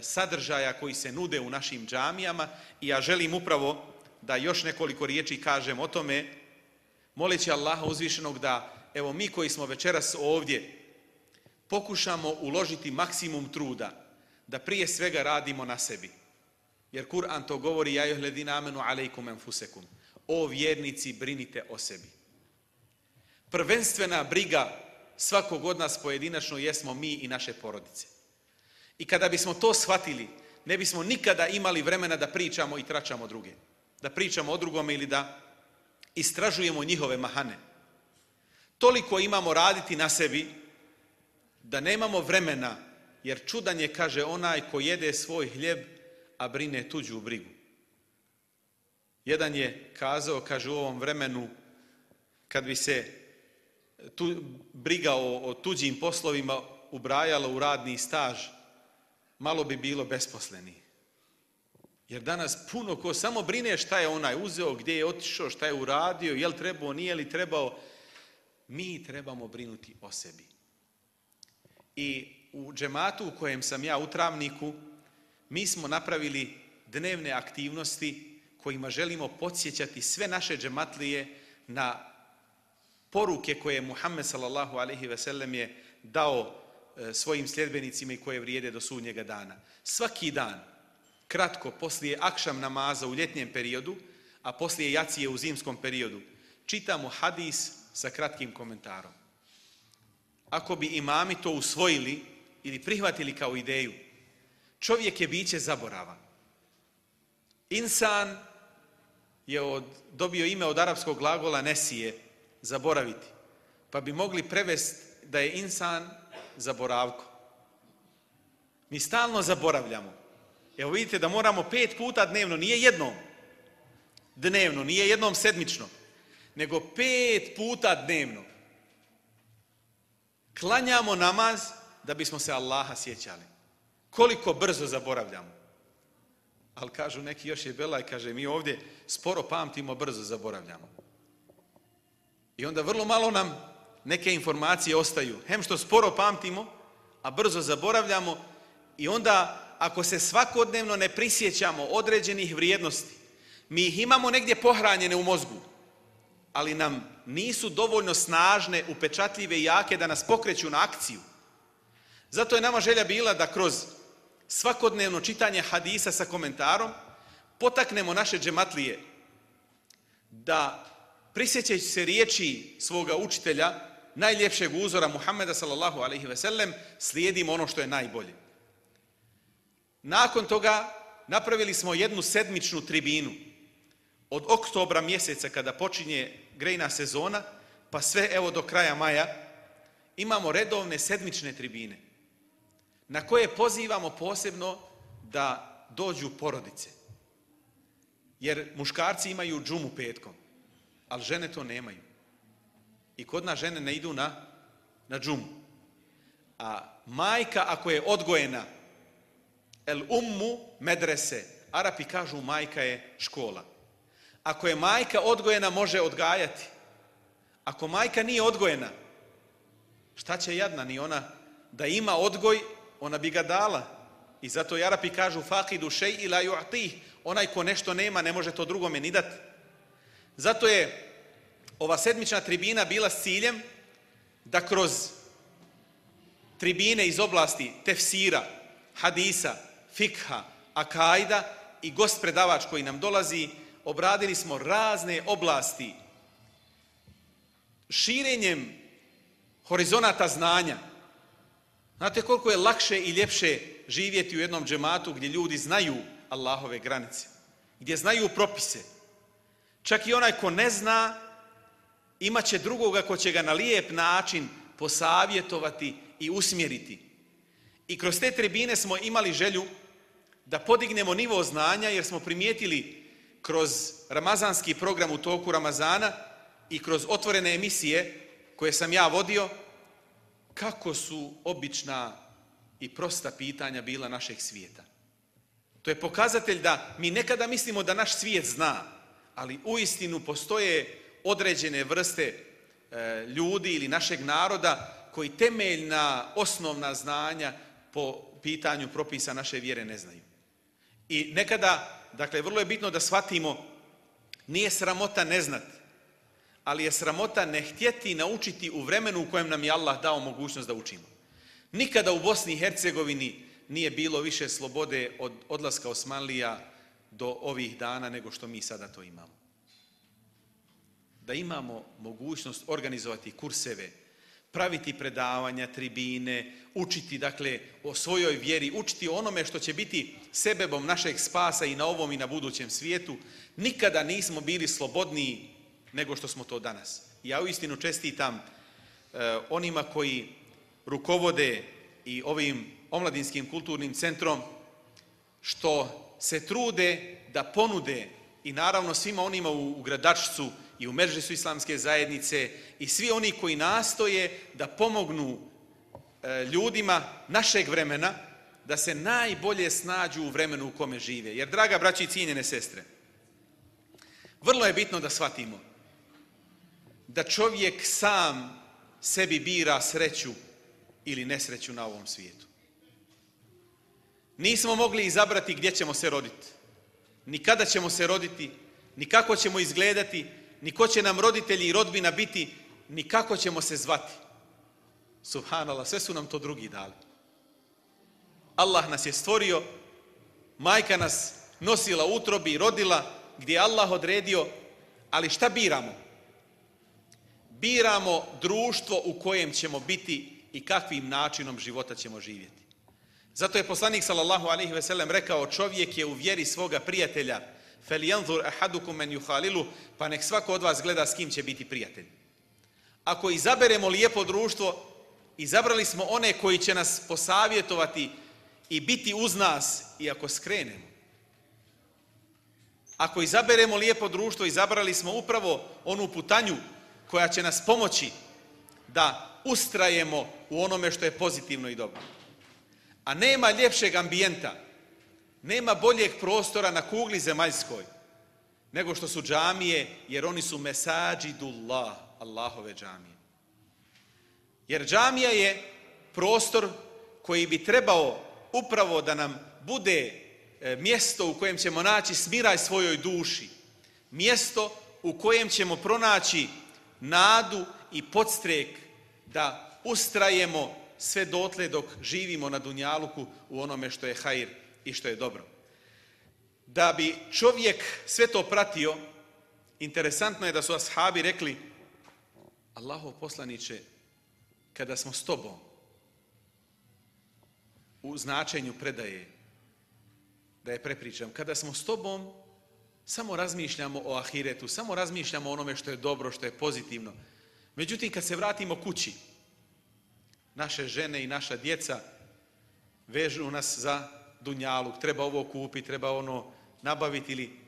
sadržaja koji se nude u našim džamijama i ja želim upravo da još nekoliko riječi kažem o tome, moleći Allaha uzvišenog da, evo mi koji smo večeras ovdje, pokušamo uložiti maksimum truda, da prije svega radimo na sebi. Jer Kur'an to govori, ja ejuhledina amenu alejkum enfusekum. O vjernici, brinite o sebi. Prvenstvena briga svakog od nas pojedinačno jesmo mi i naše porodice. I kada bismo to shvatili, ne bismo nikada imali vremena da pričamo i tračamo druge. Da pričamo o drugome ili da istražujemo njihove mahane. Toliko imamo raditi na sebi da nemamo vremena, jer čudan je, kaže, onaj ko jede svoj hljeb, a brine tuđu brigu. Jedan je kazao, kaže, u ovom vremenu, kad bi se tu, briga o, o tuđim poslovima ubrajala u radni staž, malo bi bilo besposleni. Jer danas puno ko samo brine šta je onaj uzeo, gdje je otišao, šta je uradio, je li trebao, nije li trebao. Mi trebamo brinuti o sebi. I u džematu u kojem sam ja u Travniku, mi smo napravili dnevne aktivnosti kojima želimo podsjećati sve naše džematlije na poruke koje je Muhammed sallallahu alejhi ve sellem je dao svojim sljedbenicima i koje vrijede do sudnjega dana. Svaki dan, kratko, poslije akšam namaza u ljetnjem periodu, a poslije jacije u zimskom periodu, čitamo hadis sa kratkim komentarom. Ako bi imami to usvojili ili prihvatili kao ideju, čovjek je biće zaboravan. Insan je od, dobio ime od arapskog glagola nesije, zaboraviti, pa bi mogli prevesti da je insan zaboravko. Mi stalno zaboravljamo. Evo vidite da moramo pet puta dnevno, nije jednom dnevno, nije jednom sedmično, nego pet puta dnevno klanjamo namaz da bismo se Allaha sjećali. Koliko brzo zaboravljamo. Ali kažu neki, još je belaj, kaže, mi ovdje sporo pamtimo, brzo zaboravljamo. I onda vrlo malo nam neke informacije ostaju. Hem što sporo pamtimo, a brzo zaboravljamo. I onda ako se svakodnevno ne prisjećamo određenih vrijednosti, mi ih imamo negdje pohranjene u mozgu, ali nam nisu dovoljno snažne, upečatljive i jake da nas pokreću na akciju. Zato je nama želja bila da kroz svakodnevno čitanje hadisa sa komentarom potaknemo naše džematlije da, prisjećajući se riječi svoga učitelja, najljepšeg uzora Muhammeda sallallahu alejhi ve sellem, slijedimo ono što je najbolje. Nakon toga napravili smo jednu sedmičnu tribinu. Od oktobra mjeseca kada počinje grejna sezona, pa sve evo do kraja maja, imamo redovne sedmične tribine na koje pozivamo posebno da dođu porodice. Jer muškarci imaju džumu petkom, ali žene to nemaju. I kod nas žene ne idu na, na džumu. A majka ako je odgojena, el ummu medrese, Arapi kažu majka je škola. Ako je majka odgojena, može odgajati. Ako majka nije odgojena, šta će jadna ni ona? Da ima odgoj, ona bi ga dala. I zato i Arapi kažu faqidu šej la yu'tih. Onaj ko nešto nema, ne može to drugome ni dati. Zato je ova sedmična tribina bila s ciljem da kroz tribine iz oblasti tefsira, hadisa, fikha, akajda i gost predavač koji nam dolazi, obradili smo razne oblasti širenjem horizonata znanja. Znate koliko je lakše i ljepše živjeti u jednom džematu gdje ljudi znaju Allahove granice, gdje znaju propise. Čak i onaj ko ne zna, imat će drugoga ko će ga na lijep način posavjetovati i usmjeriti. I kroz te tribine smo imali želju da podignemo nivo znanja, jer smo primijetili kroz ramazanski program u toku Ramazana i kroz otvorene emisije koje sam ja vodio, kako su obična i prosta pitanja bila našeg svijeta. To je pokazatelj da mi nekada mislimo da naš svijet zna, ali uistinu postoje određene vrste e, ljudi ili našeg naroda koji temeljna, osnovna znanja po pitanju propisa naše vjere ne znaju. I nekada, dakle, vrlo je bitno da shvatimo, nije sramota ne znati, ali je sramota ne htjeti naučiti u vremenu u kojem nam je Allah dao mogućnost da učimo. Nikada u Bosni i Hercegovini nije bilo više slobode od odlaska Osmanlija do ovih dana nego što mi sada to imamo. Da imamo mogućnost organizovati kurseve, praviti predavanja, tribine, učiti dakle o svojoj vjeri, učiti o onome što će biti sebebom našeg spasa i na ovom i na budućem svijetu, nikada nismo bili slobodniji nego što smo to danas. Ja uistinu čestitam eh, onima koji rukovode i ovim omladinskim kulturnim centrom što se trude da ponude i naravno svima onima u, u Gradačcu i u Medžlisu islamske zajednice i svi oni koji nastoje da pomognu e, ljudima našeg vremena da se najbolje snađu u vremenu u kome žive. Jer, draga braći i cijenjene sestre, vrlo je bitno da shvatimo da čovjek sam sebi bira sreću ili nesreću na ovom svijetu. Nismo mogli izabrati gdje ćemo se roditi, ni kada ćemo se roditi, ni kako ćemo izgledati, ni ko će nam roditelji i rodbina biti, ni kako ćemo se zvati. Subhanallah, sve su nam to drugi dali. Allah nas je stvorio, majka nas nosila u utrobi i rodila gdje je Allah odredio, ali šta biramo? Biramo društvo u kojem ćemo biti i kakvim načinom života ćemo živjeti. Zato je poslanik sallallahu alejhi ve sellem rekao, čovjek je u vjeri svoga prijatelja, فَلْيَنْظُرْ أَحَدُكُمْ مَنْ يُحَالِلُ, pa nek svako od vas gleda s kim će biti prijatelj. Ako izaberemo lijepo društvo, izabrali smo one koji će nas posavjetovati i biti uz nas i ako skrenemo. Ako izaberemo lijepo društvo, izabrali smo upravo onu putanju koja će nas pomoći da ustrajemo u onome što je pozitivno i dobro. A nema ljepšeg ambijenta, nema boljeg prostora na kugli zemaljskoj nego što su džamije, jer oni su mesađidullah, Allahove džamije. Jer džamija je prostor koji bi trebao upravo da nam bude mjesto u kojem ćemo naći smiraj svojoj duši, mjesto u kojem ćemo pronaći nadu i podstrek da ustrajemo sve dotle dok živimo na dunjaluku u onome što je hajr i što je dobro. Da bi čovjek sve to pratio, interesantno je da su ashabi rekli, Allahov poslaniče, kada smo s tobom, u značenju predaje, da je prepričam, kada smo s tobom, samo razmišljamo o ahiretu, samo razmišljamo o onome što je dobro, što je pozitivno. Međutim, kad se vratimo kući, naše žene i naša djeca vežu nas za dunjaluk, treba ovo kupiti, treba ono nabaviti ili...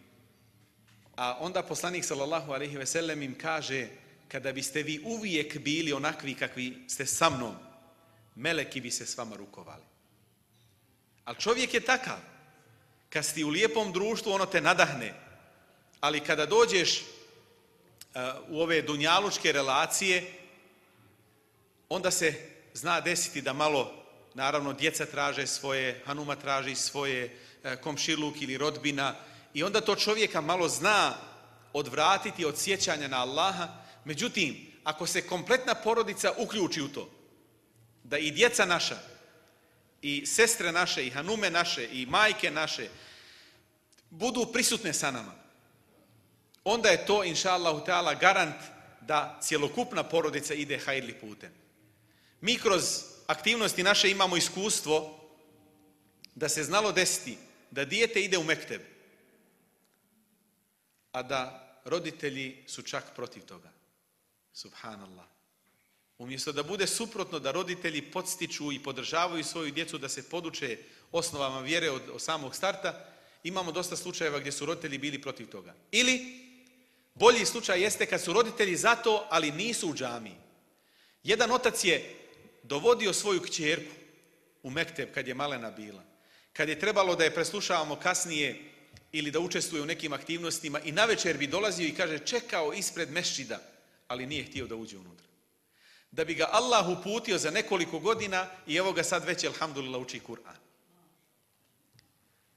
A onda poslanik sallallahu alejhi ve sellem im kaže, kada biste vi uvijek bili onakvi kakvi ste sa mnom, meleki bi se s vama rukovali. Ali čovjek je takav. Kad si u lijepom društvu, ono te nadahne. Ali kada dođeš uh, u ove dunjalučke relacije, onda se zna desiti da malo, naravno, djeca traže svoje, hanuma traži svoje, uh, komšiluk ili rodbina, i onda to čovjeka malo zna odvratiti od sjećanja na Allaha, Međutim, ako se kompletna porodica uključi u to, da i djeca naša, i sestre naše, i hanume naše, i majke naše, budu prisutne sa nama, onda je to, inša Allahu teala, garant da cjelokupna porodica ide hajrli putem. Mi kroz aktivnosti naše imamo iskustvo da se znalo desiti da dijete ide u mekteb, a da roditelji su čak protiv toga. Subhanallah. Umjesto da bude suprotno, da roditelji podstiču i podržavaju svoju djecu da se poduče osnovama vjere od, od samog starta, imamo dosta slučajeva gdje su roditelji bili protiv toga. Ili bolji slučaj jeste kad su roditelji za to, ali nisu u džamiji. Jedan otac je dovodio svoju kćerku u mekteb kad je malena bila. Kad je trebalo da je preslušavamo kasnije ili da učestvuje u nekim aktivnostima i navečer bi dolazio i kaže čekao ispred mešćida, ali nije htio da uđe unutra. Da bi ga Allah uputio za nekoliko godina i evo ga sad već, alhamdulillah, uči Kur'an.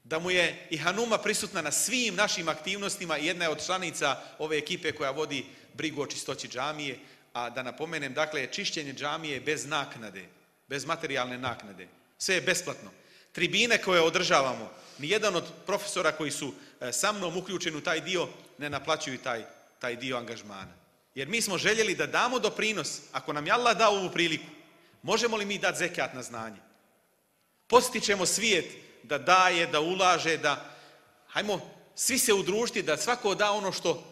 Da mu je i hanuma prisutna na svim našim aktivnostima i jedna je od članica ove ekipe koja vodi brigu o čistoći džamije, a da napomenem, dakle, čišćenje džamije bez naknade, bez materijalne naknade. Sve je besplatno. Tribine koje održavamo, nijedan od profesora koji su sa mnom uključeni u taj dio ne naplaćuju taj, taj dio angažmana. Jer mi smo željeli da damo doprinos, ako nam je Allah dao ovu priliku, možemo li mi dati zekat na znanje? Postičemo svijet da daje, da ulaže, da, hajmo svi se udružiti, da svako da ono što,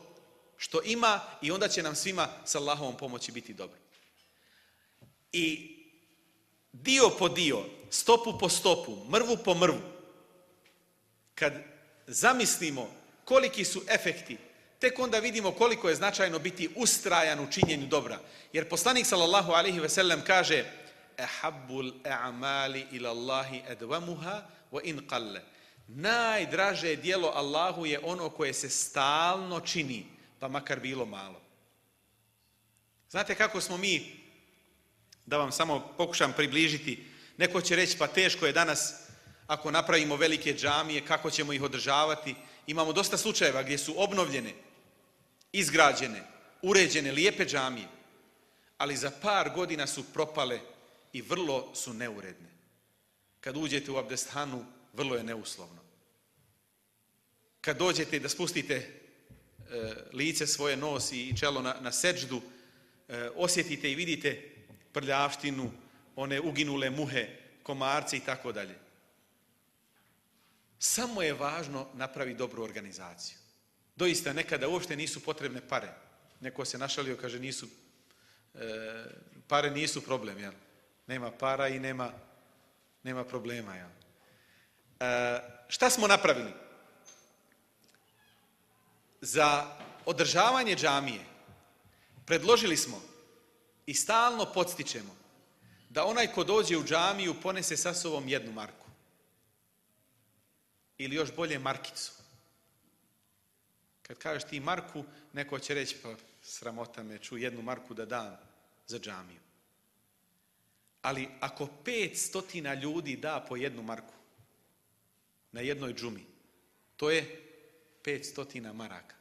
što ima i onda će nam svima s Allahovom pomoći biti dobro. I dio po dio, stopu po stopu, mrvu po mrvu, kad zamislimo koliki su efekti, tek onda vidimo koliko je značajno biti ustrajan u činjenju dobra. Jer poslanik sallallahu alejhi ve sellem kaže ehabbul a'mali ila Allahi adwamuha wa in qalla. Najdraže djelo Allahu je ono koje se stalno čini, pa makar bilo malo. Znate kako smo mi, da vam samo pokušam približiti, neko će reći pa teško je danas ako napravimo velike džamije, kako ćemo ih održavati. Imamo dosta slučajeva gdje su obnovljene, izgrađene, uređene, lijepe džamije, ali za par godina su propale i vrlo su neuredne. Kad uđete u abdesthanu, vrlo je neuslovno. Kad dođete da spustite e, lice svoje, nos i čelo na, na seđdu, e, osjetite i vidite prljavštinu, one uginule muhe, komarce i tako dalje. Samo je važno napraviti dobru organizaciju. Doista, nekada uopšte nisu potrebne pare. Neko se našalio, kaže, nisu, e, pare nisu problem, jel? Nema para i nema, nema problema, jel? E, šta smo napravili? Za održavanje džamije predložili smo i stalno podstičemo da onaj ko dođe u džamiju ponese sa sobom jednu marku. Ili još bolje markicu. Kad kažeš ti marku, neko će reći, pa sramota me, ču jednu marku da dam za džamiju. Ali ako pet stotina ljudi da po jednu marku na jednoj džumi, to je pet stotina maraka.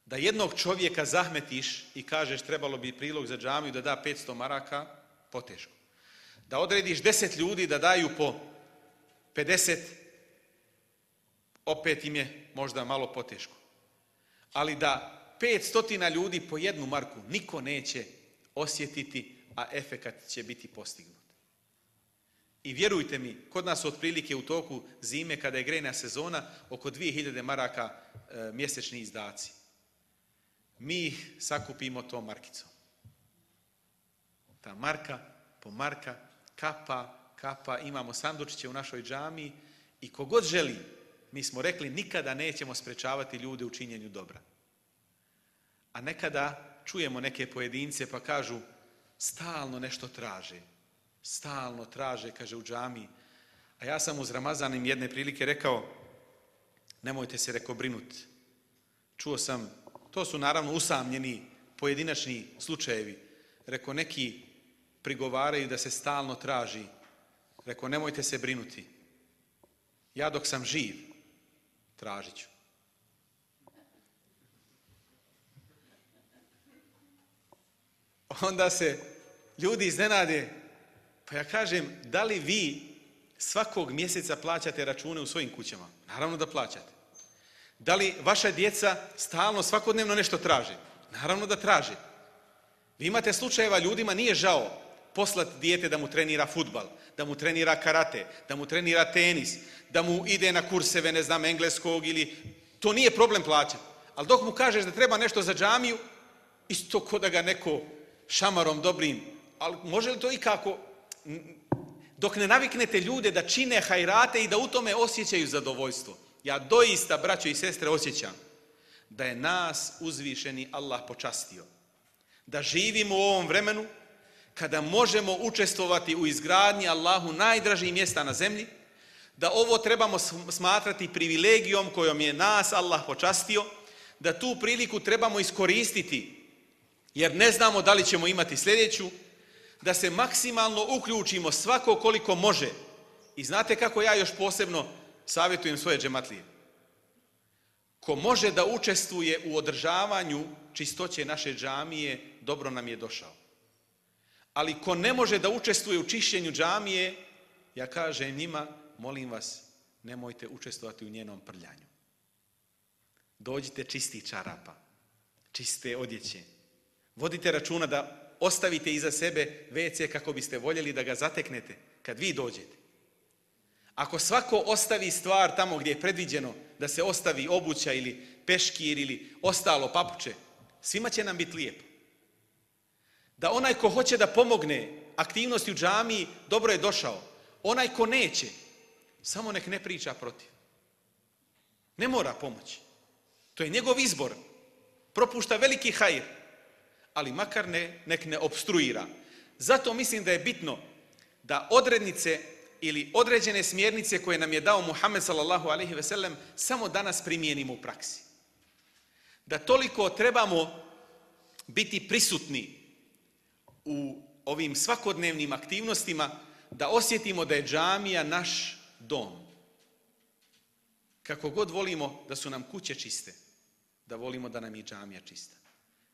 Da jednog čovjeka zahmetiš i kažeš trebalo bi prilog za džamiju da da petsto maraka, poteško. Da odrediš deset ljudi da daju po pedeset, opet im je možda malo poteško. Ali da pet stotina ljudi po jednu marku niko neće osjetiti, a efekat će biti postignut. I vjerujte mi, kod nas otprilike u toku zime, kada je grejna sezona, oko dvije hiljade maraka e, mjesečni izdaci. Mi ih sakupimo tom markicom. Ta marka po marka, kapa, kapa, imamo sandučiće u našoj džamiji i kogod želi, mi smo rekli, nikada nećemo sprečavati ljude u činjenju dobra. A nekada čujemo neke pojedince pa kažu, stalno nešto traže. Stalno traže, kaže, u džamiji. A ja sam uz Ramazan im jedne prilike rekao, nemojte se, reko, brinuti. Čuo sam, to su naravno usamljeni pojedinačni slučajevi. Reko, neki prigovaraju da se stalno traži. Reko, nemojte se brinuti. Ja dok sam živ, tražit ću. onda se ljudi iznenade. Pa ja kažem, da li vi svakog mjeseca plaćate račune u svojim kućama? Naravno da plaćate. Da li vaša djeca stalno, svakodnevno nešto traže? Naravno da traže. Vi imate slučajeva, ljudima nije žao poslati dijete da mu trenira fudbal, da mu trenira karate, da mu trenira tenis, da mu ide na kurseve, ne znam, engleskog ili... To nije problem plaćati. Ali dok mu kažeš da treba nešto za džamiju, isto ko da ga neko šamarom dobrim, ali može li to ikako... Dok ne naviknete ljude da čine hajrate i da u tome osjećaju zadovoljstvo. Ja doista, braćo i sestre, osjećam da je nas uzvišeni Allah počastio. Da živimo u ovom vremenu kada možemo učestvovati u izgradnji Allahu najdražih mjesta na zemlji, da ovo trebamo smatrati privilegijom kojom je nas Allah počastio, da tu priliku trebamo iskoristiti, jer ne znamo da li ćemo imati sljedeću, da se maksimalno uključimo svako koliko može. I znate kako ja još posebno savjetujem svoje džematlije? Ko može da učestvuje u održavanju čistoće naše džamije, dobro nam je došao. Ali ko ne može da učestvuje u čišćenju džamije, ja kažem njima, molim vas, nemojte učestvovati u njenom prljanju. Dođite čisti čarapa, čiste odjeće. Vodite računa da ostavite iza sebe ve ce kako biste voljeli da ga zateknete kad vi dođete. Ako svako ostavi stvar tamo gdje je predviđeno da se ostavi obuća ili peškir ili ostalo papuče, svima će nam biti lijepo. Da onaj ko hoće da pomogne aktivnosti u džamiji, dobro je došao. Onaj ko neće, samo nek ne priča protiv. Ne mora pomoći. To je njegov izbor. Propušta veliki hajr, ali makar ne, nek ne opstruira. Zato mislim da je bitno da odrednice ili određene smjernice koje nam je dao Muhammed sallallahu alejhi ve sellem samo danas primijenimo u praksi. Da toliko trebamo biti prisutni u ovim svakodnevnim aktivnostima da osjetimo da je džamija naš dom. Kako god volimo da su nam kuće čiste, da volimo da nam je džamija čista.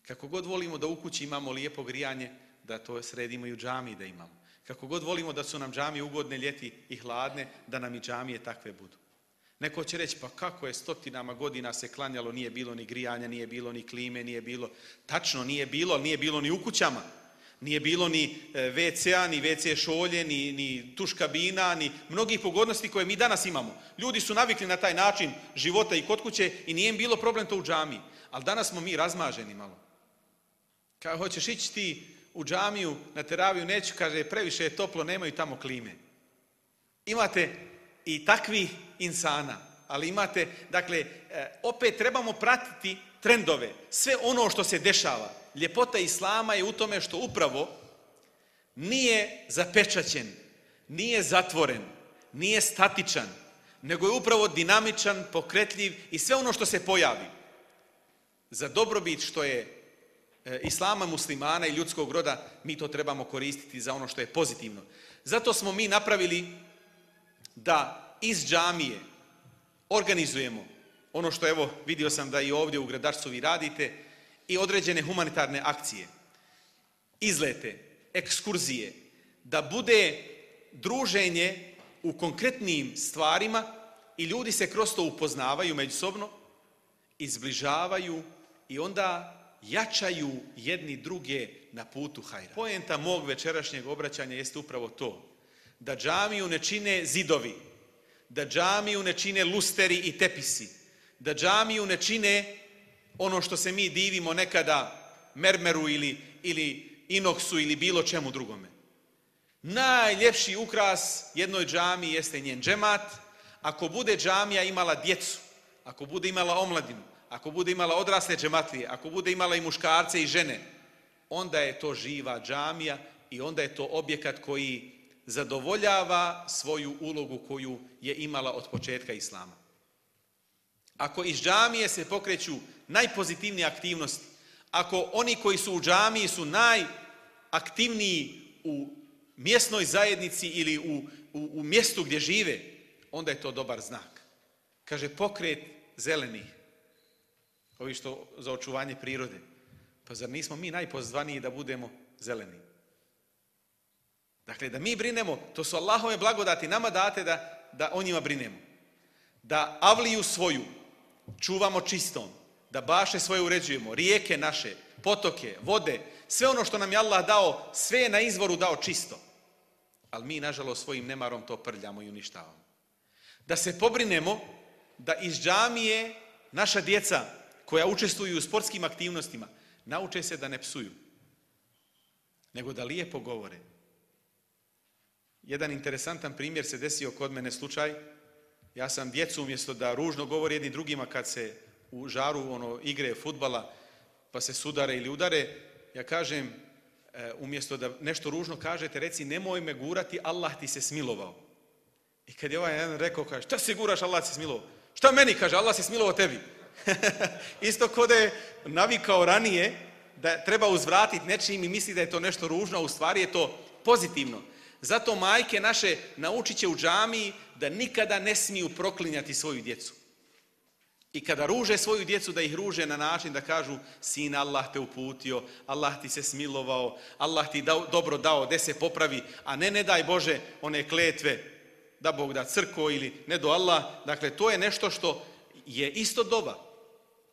Kako god volimo da u kući imamo lijepo grijanje, da to sredimo i u džamiji da imamo. Kako god volimo da su nam džamije ugodne ljeti i hladne, da nam i džamije takve budu. Neko će reći, pa kako je stotinama godina se klanjalo, nije bilo ni grijanja, nije bilo ni klime, nije bilo... Tačno, nije bilo, ali nije bilo ni u kućama. Nije bilo ni ve ce a, ni ve ce šolje, ni, ni tuš kabina, ni mnogih pogodnosti koje mi danas imamo. Ljudi su navikli na taj način života i kod kuće i nije im bilo problem to u džamiji. Ali danas smo mi razmaženi malo. Kao hoćeš ići ti u džamiju, na teraviju, neću, kaže, previše je toplo, nemaju tamo klime. Imate i takvi insana, ali imate, dakle, opet trebamo pratiti trendove, sve ono što se dešava. Ljepota Islama je u tome što upravo nije zapečaćen, nije zatvoren, nije statičan, nego je upravo dinamičan, pokretljiv i sve ono što se pojavi. Za dobrobit što je Islama, muslimana i ljudskog roda, mi to trebamo koristiti za ono što je pozitivno. Zato smo mi napravili da iz džamije organizujemo ono što, evo, vidio sam da i ovdje u Gradarcu vi radite, i određene humanitarne akcije, izlete, ekskurzije, da bude druženje u konkretnim stvarima i ljudi se kroz to upoznavaju međusobno, izbližavaju i onda jačaju jedni druge na putu hajra. Poenta mog večerašnjeg obraćanja jeste upravo to, da džamiju ne čine zidovi, da džamiju ne čine lusteri i tepisi, da džamiju ne čine ono što se mi divimo nekada mermeru ili, ili inoksu ili bilo čemu drugome. Najljepši ukras jednoj džamiji jeste njen džemat. Ako bude džamija imala djecu, ako bude imala omladinu, ako bude imala odrasle džematlije, ako bude imala i muškarce i žene, onda je to živa džamija i onda je to objekat koji zadovoljava svoju ulogu koju je imala od početka Islama. Ako iz džamije se pokreću najpozitivnije aktivnosti, ako oni koji su u džamiji su najaktivniji u mjesnoj zajednici ili u, u, u mjestu gdje žive, onda je to dobar znak. Kaže, pokret zelenih, ovi što za očuvanje prirode. Pa zar nismo mi najpozvaniji da budemo zeleni. Dakle, da mi brinemo, to su Allahove blagodati, nama date da, da o njima brinemo. Da avliju svoju čuvamo čistom, da baše svoje uređujemo, rijeke naše, potoke, vode, sve ono što nam je Allah dao, sve je na izvoru dao čisto. Ali mi, nažalost, svojim nemarom to prljamo i uništavamo. Da se pobrinemo da iz džamije naša djeca koja učestvuju u sportskim aktivnostima nauče se da ne psuju, nego da lijepo govore. Jedan interesantan primjer se desio kod mene slučaj. Ja sam djecu umjesto da ružno govori jedni drugima kad se u žaru ono, igre fudbala pa se sudare ili udare, ja kažem e, umjesto da nešto ružno kažete, reci nemoj me gurati, Allah ti se smilovao. I kad je ovaj jedan rekao, kaže, šta se guraš, Allah se smilovao? Šta meni, kaže, Allah se smilovao tebi. Isto kod je navikao ranije da treba uzvratiti nečim i misli da je to nešto ružno, a u stvari je to pozitivno. Zato majke naše naučit će u džamiji da nikada ne smiju proklinjati svoju djecu. I kada ruže svoju djecu, da ih ruže na način da kažu sin, Allah te uputio, Allah ti se smilovao, Allah ti dao, dobro dao, de se popravi, a ne ne daj Bože one kletve, da Bog da crko ili ne do Allah. Dakle, to je nešto što je isto dova,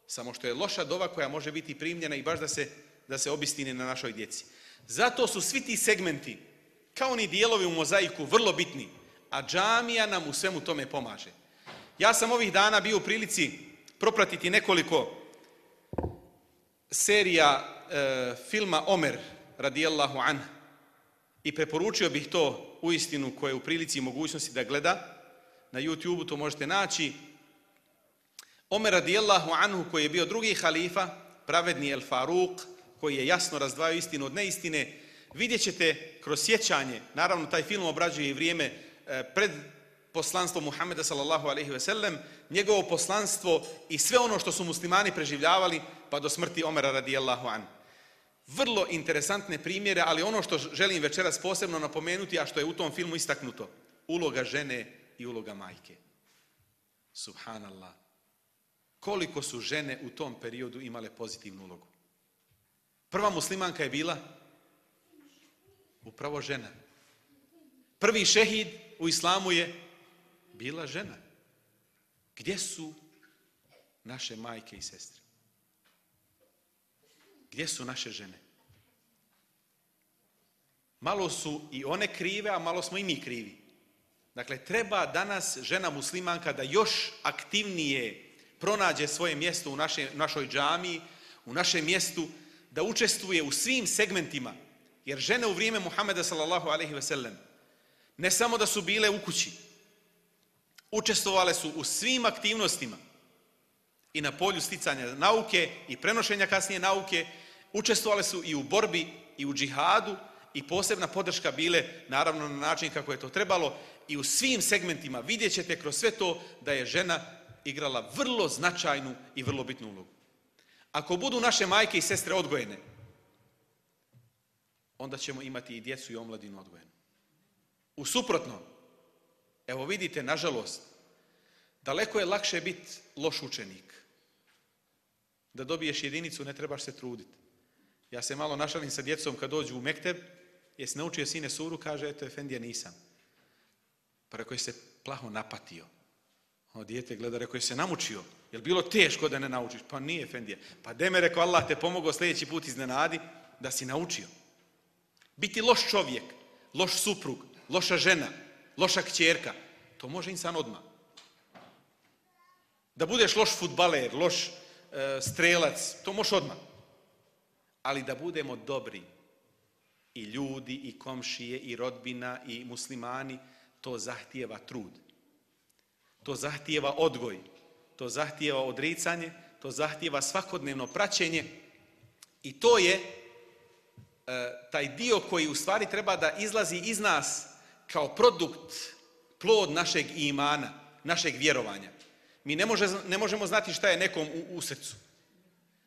samo što je loša dova koja može biti primljena i baš da se, da se obistini na našoj djeci. Zato su svi ti segmenti, kao oni dijelovi u mozaiku, vrlo bitni, a džamija nam u svemu tome pomaže. Ja sam ovih dana bio u prilici propratiti nekoliko serija e, filma Omer radijallahu anh i preporučio bih to uistinu koje je u prilici i mogućnosti da gleda. Na YouTubeu to možete naći. Omer radijallahu anhu koji je bio drugi halifa, pravedni El Faruk, koji je jasno razdvajao istinu od neistine. Vidjet ćete kroz sjećanje, naravno taj film obrađuje i vrijeme e, pred poslanstvo Muhameda sallallahu alejhi ve sellem, njegovo poslanstvo i sve ono što su muslimani preživljavali pa do smrti Omera radijallahu an. Vrlo interesantne primjere, ali ono što želim večeras posebno napomenuti, a što je u tom filmu istaknuto, uloga žene i uloga majke. Subhanallah. Koliko su žene u tom periodu imale pozitivnu ulogu. Prva muslimanka je bila upravo žena. Prvi šehid u islamu je bila žena. Gdje su naše majke i sestre? Gdje su naše žene? Malo su i one krive, a malo smo i mi krivi. Dakle, treba danas žena muslimanka da još aktivnije pronađe svoje mjesto u naše, našoj džamiji, u našem mjestu, da učestvuje u svim segmentima. Jer žene u vrijeme Muhameda sallallahu alejhi ve sellem ne samo da su bile u kući, učestvovale su u svim aktivnostima i na polju sticanja nauke i prenošenja kasnije nauke, učestvovale su i u borbi i u džihadu i posebna podrška bile naravno na način kako je to trebalo i u svim segmentima vidjet ćete kroz sve to da je žena igrala vrlo značajnu i vrlo bitnu ulogu. Ako budu naše majke i sestre odgojene, onda ćemo imati i djecu i omladinu odgojenu. U suprotnom, evo vidite, nažalost, daleko je lakše biti loš učenik. Da dobiješ jedinicu, ne trebaš se truditi. Ja se malo našalim sa djecom kad dođu u mekteb, jesi naučio sine suru, kaže, eto, efendija, nisam. Pa rekao je se plaho napatio. O, dijete gleda, rekao je se namučio. Je li bilo teško da ne naučiš? Pa nije, efendija. Pa de me, rekao, Allah te pomogao sljedeći put iznenadi da si naučio. Biti loš čovjek, loš suprug, loša žena, loša kćerka, to može insan odmah. Da budeš loš fudbaler, loš e, strelac, to može odmah. Ali da budemo dobri i ljudi, i komšije, i rodbina, i muslimani, to zahtijeva trud. To zahtijeva odgoj, to zahtijeva odricanje, to zahtijeva svakodnevno praćenje i to je e, taj dio koji u stvari treba da izlazi iz nas kao produkt, plod našeg imana, našeg vjerovanja. Mi ne, može, ne možemo znati šta je nekom u, u srcu,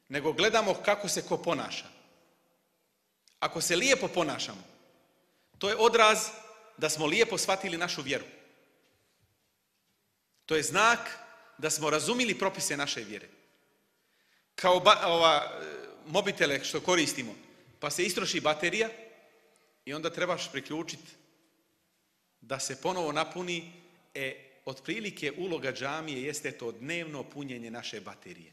nego gledamo kako se ko ponaša. Ako se lijepo ponašamo, to je odraz da smo lijepo shvatili našu vjeru. To je znak da smo razumili propise naše vjere. Kao ba, ova, mobitele što koristimo, pa se istroši baterija i onda trebaš priključiti da se ponovo napuni. E, otprilike uloga džamije jeste to dnevno punjenje naše baterije.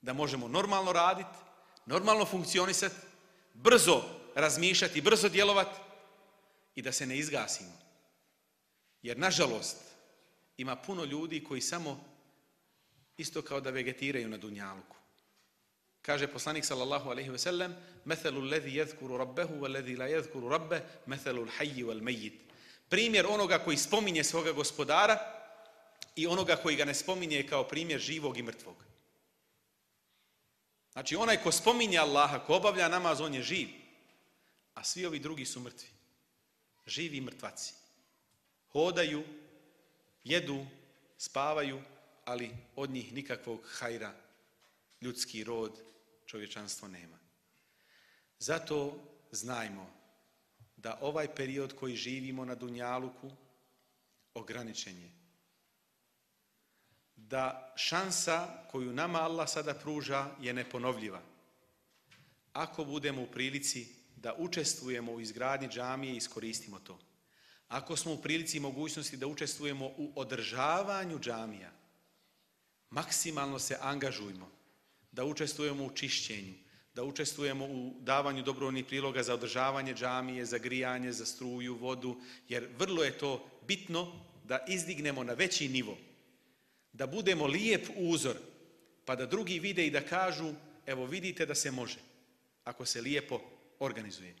Da možemo normalno raditi, normalno funkcionisati, brzo razmišljati, brzo djelovati i da se ne izgasimo. Jer, nažalost, ima puno ljudi koji samo isto kao da vegetiraju na dunjaluku. Kaže poslanik sallallahu alejhi ve sellem: "Methalu allazi yadhkuru rabbahu wallazi la yadhkuru rabbah, methalu al-hayy wal-mayyit." Primjer onoga koji spominje svoga gospodara i onoga koji ga ne spominje je kao primjer živog i mrtvog. Znači, onaj ko spominje Allaha, ko obavlja namaz, on je živ, a svi ovi drugi su mrtvi. Živi mrtvaci. Hodaju, jedu, spavaju, ali od njih nikakvog hajra, ljudski rod, čovječanstvo nema. Zato znajmo da ovaj period koji živimo na dunjaluku ograničen je. Da šansa koju nama Allah sada pruža je neponovljiva. Ako budemo u prilici da učestvujemo u izgradnji džamije, iskoristimo to. Ako smo u prilici i mogućnosti da učestvujemo u održavanju džamija, maksimalno se angažujmo da učestvujemo u čišćenju, da učestvujemo u davanju dobrovoljnih priloga za održavanje džamije, za grijanje, za struju, vodu, jer vrlo je to bitno da izdignemo na veći nivo, da budemo lijep uzor, pa da drugi vide i da kažu: evo vidite da se može, ako se lijepo organizuje.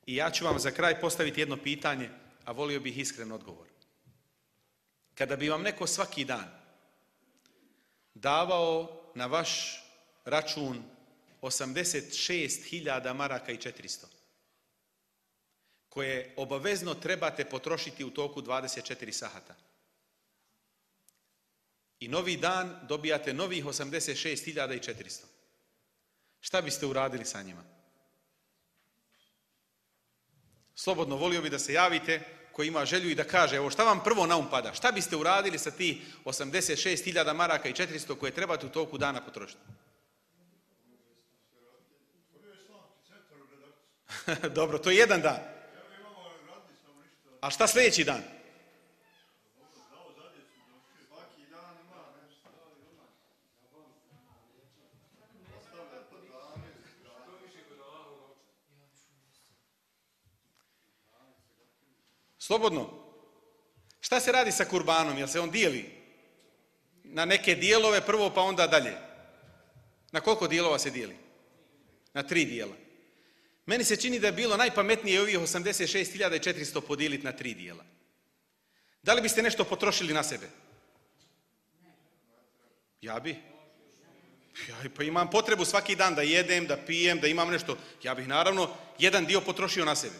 I ja ću vam za kraj postaviti jedno pitanje, a volio bih iskren odgovor. Kada bi vam neko svaki dan davao na vaš račun osamdeset šest hiljada maraka i četiristo, koje obavezno trebate potrošiti u toku dvadeset četiri sahata, i novi dan dobijate novih osamdeset šest hiljada i četiristo, šta biste uradili sa njima? Slobodno, volio bi da se javite koji ima želju i da kaže: evo, šta vam prvo na um pada? Šta biste uradili sa tih osamdeset šest hiljada maraka i četiristo koje trebate u toku dana potrošiti? Dobro, to je jedan dan. A šta sljedeći dan? Slobodno. Šta se radi sa kurbanom? Jel se on dijeli na neke dijelove prvo pa onda dalje? Na koliko dijelova se dijeli? Na tri dijela. Meni se čini da je bilo najpametnije ovih osamdeset šest hiljada i četiristo podijeliti na tri dijela. Da li biste nešto potrošili na sebe? Ja bi. Ja pa imam potrebu svaki dan da jedem, da pijem, da imam nešto. Ja bih naravno jedan dio potrošio na sebe.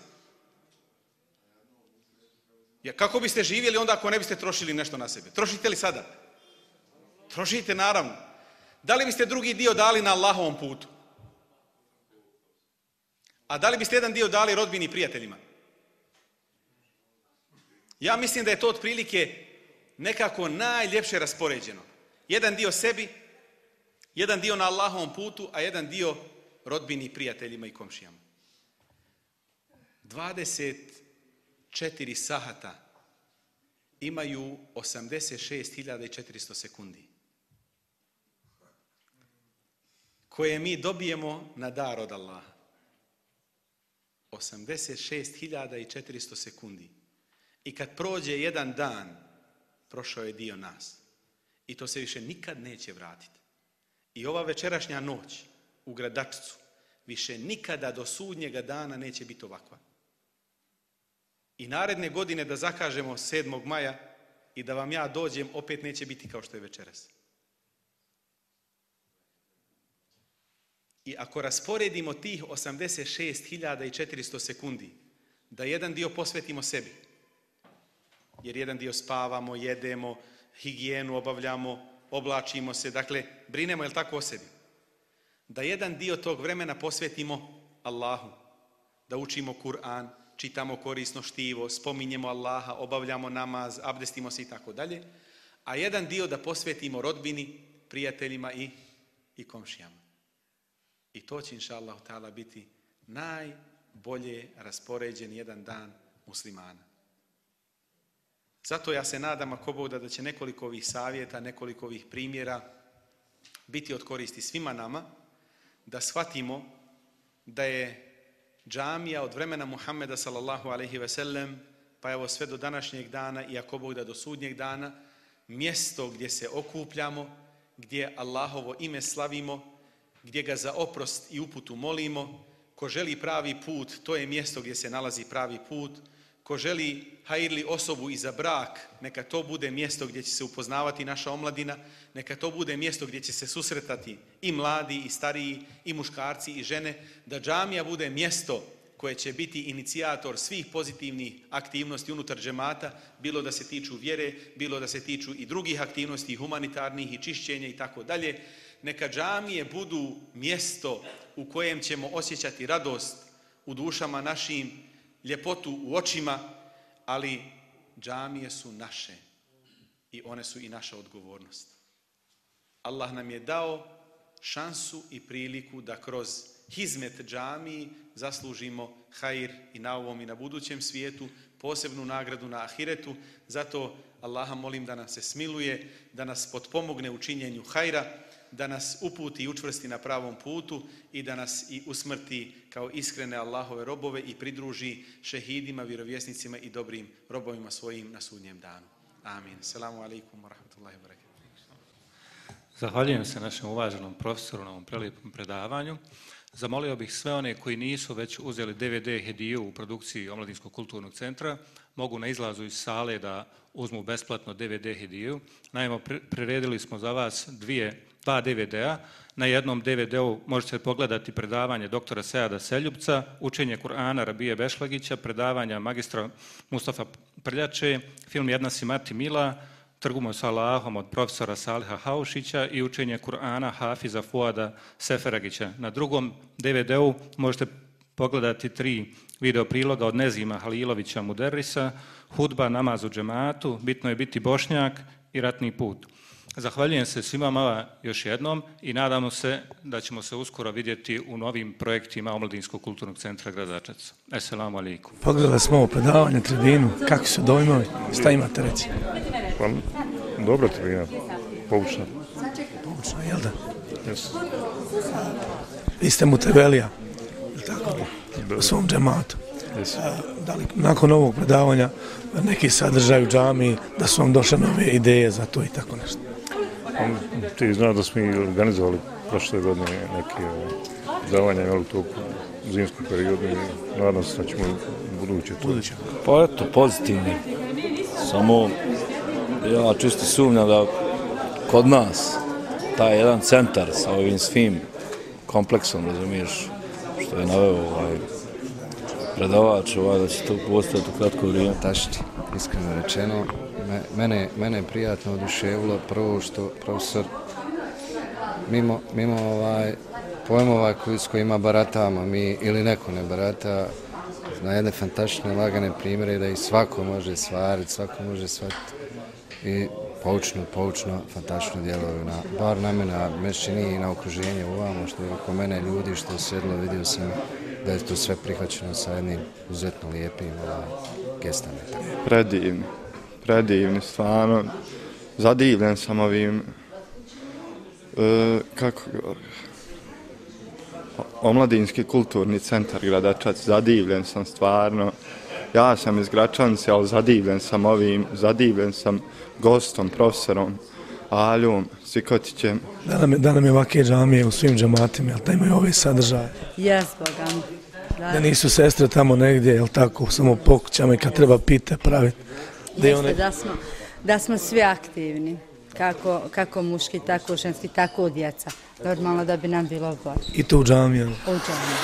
Ja, kako biste živjeli onda ako ne biste trošili nešto na sebe? Trošite li sada? Trošite naravno. Da li biste drugi dio dali na Allahovom putu? A da li biste jedan dio dali rodbini i prijateljima? Ja mislim da je to otprilike nekako najljepše raspoređeno. Jedan dio sebi, jedan dio na Allahovom putu, a jedan dio rodbini i prijateljima i komšijama. dvadeset četiri sahata imaju osamdeset šest hiljada i četiristo sekundi, koje mi dobijemo na dar od Allaha. osamdeset šest hiljada i četiristo sekundi. I kad prođe jedan dan, prošao je dio nas. I to se više nikad neće vratiti. I ova večerašnja noć u Gradačcu više nikada do sudnjega dana neće biti ovakva. I naredne godine da zakažemo sedmog maja i da vam ja dođem, opet neće biti kao što je večeras. I ako rasporedimo tih osamdeset šest hiljada i četiristo sekundi, da jedan dio posvetimo sebi, jer jedan dio spavamo, jedemo, higijenu obavljamo, oblačimo se, dakle, brinemo, jel tako, o sebi. Da jedan dio tog vremena posvetimo Allahu, da učimo Kur'an, čitamo korisno štivo, spominjemo Allaha, obavljamo namaz, abdestimo se i tako dalje, a jedan dio da posvetimo rodbini, prijateljima i, i komšijama. I to će, inša Allah, ta'ala, biti najbolje raspoređen jedan dan muslimana. Zato ja se nadam, ako Bog da, da će nekoliko ovih savjeta, nekoliko ovih primjera biti od koristi svima nama, da shvatimo da je džamija od vremena Muhammeda sallallahu alejhi ve sellem pa evo sve do današnjeg dana i ako Bog da do sudnjeg dana mjesto gdje se okupljamo, gdje Allahovo ime slavimo, gdje ga za oprost i uputu molimo. Ko želi pravi put, to je mjesto gdje se nalazi pravi put. Ko želi hajirli osobu i za brak, neka to bude mjesto gdje će se upoznavati naša omladina, neka to bude mjesto gdje će se susretati i mladi, i stariji, i muškarci, i žene, da džamija bude mjesto koje će biti inicijator svih pozitivnih aktivnosti unutar džemata, bilo da se tiču vjere, bilo da se tiču i drugih aktivnosti, humanitarnih i čišćenja i tako dalje. Neka džamije budu mjesto u kojem ćemo osjećati radost u dušama našim, ljepotu u očima, ali džamije su naše i one su i naša odgovornost. Allah nam je dao šansu i priliku da kroz hizmet džamiji zaslužimo hajr i na ovom i na budućem svijetu, posebnu nagradu na ahiretu. Zato Allaha molim da nas se smiluje, da nas potpomogne u činjenju hajra, da nas uputi i učvrsti na pravom putu i da nas i usmrti kao iskrene Allahove robove i pridruži šehidima, vjerovjesnicima i dobrim robovima svojim na sudnjem danu. Amin. Selamu alaikum wa rahmatullahi wa barakatuh. Zahvaljujem se našem uvaženom profesoru na ovom prelijepom predavanju. Zamolio bih sve one koji nisu već uzeli D V D hediju u produkciji Omladinskog kulturnog centra, mogu na izlazu iz sale da uzmu besplatno D V D hediju. Naime, priredili smo za vas dvije, dva D V D-a. Na jednom D V D-u možete pogledati predavanje doktora Seada Seljupca, učenje Kur'ana Rabije Bešlagića, predavanja magistra Mustafa Prljače, film Jedna si mati mila, Trgumo s Allahom od profesora Saliha Haušića i učenje Kur'ana Hafiza Fuada Seferagića. Na drugom D V D-u možete pogledati tri video priloga od Nezima Halilovića Muderrisa, Hudba, namaz u džematu, Bitno je biti Bošnjak i Ratni put. Zahvaljujem se svima vama još jednom i nadamo se da ćemo se uskoro vidjeti u novim projektima Omladinskog kulturnog centra Gradačac. Esselamu alaikum. Pogledali smo ovo predavanje, tribinu, kakvi su dojmovi, šta imate reći? Pa, dobra tribina, poučna. Poučna, jel da? Yes. Vi ste Mutevelija, je tako? U svom džematu. Yes. A, da li nakon ovog predavanja neki sadržaj u džamiji, da su vam došle nove ideje za to i tako nešto? Ti znaš da smo i organizovali prošle godine neke predavanja u toku zimskog periodu i nadam se da ćemo u buduće to. Buduće. Pa eto, pozitivni. Samo ja čisto sumnjam da kod nas taj jedan centar sa ovim svim kompleksom, razumiješ, što je naveo ovaj predavač, ovaj, da će to postati u kratko vrijeme. Tašti, iskreno rečeno, mene, mene je prijatno oduševilo prvo što profesor mimo, mimo ovaj, pojmova koji, s kojima baratamo mi ili neko ne barata, na jedne fantastične lagane primjere da ih svako može stvariti, svako može shvatiti i poučno, poučno, fantastično djeluju, na, bar na mene, a me čini i na okruženje uvamo, što je oko mene ljudi, što je sjedlo, vidio sam da je to sve prihvaćeno sa jednim uzetno lijepim ovaj, gestama. Predivni, predivni, stvarno, zadivljen sam ovim, e, kako Omladinski kulturni centar Gradačac, zadivljen sam stvarno. Ja sam iz Gračanice, ali zadivljen sam ovim, zadivljen sam gostom, profesorom Aljom Sikotićem. Da nam je, da nam je ovake džamije u svim džematima, jel da imaju ove sadržaje? Jes, Bogam. Da. Da nisu sestre tamo negdje, jel tako, samo pokućama i kad treba pite praviti. Da, Jeste, one... da, smo, da smo svi aktivni, kako, kako muški, tako ženski, tako djeca. Normalno da bi nam bilo bolje. I to u džamiji, jel? U džamiji.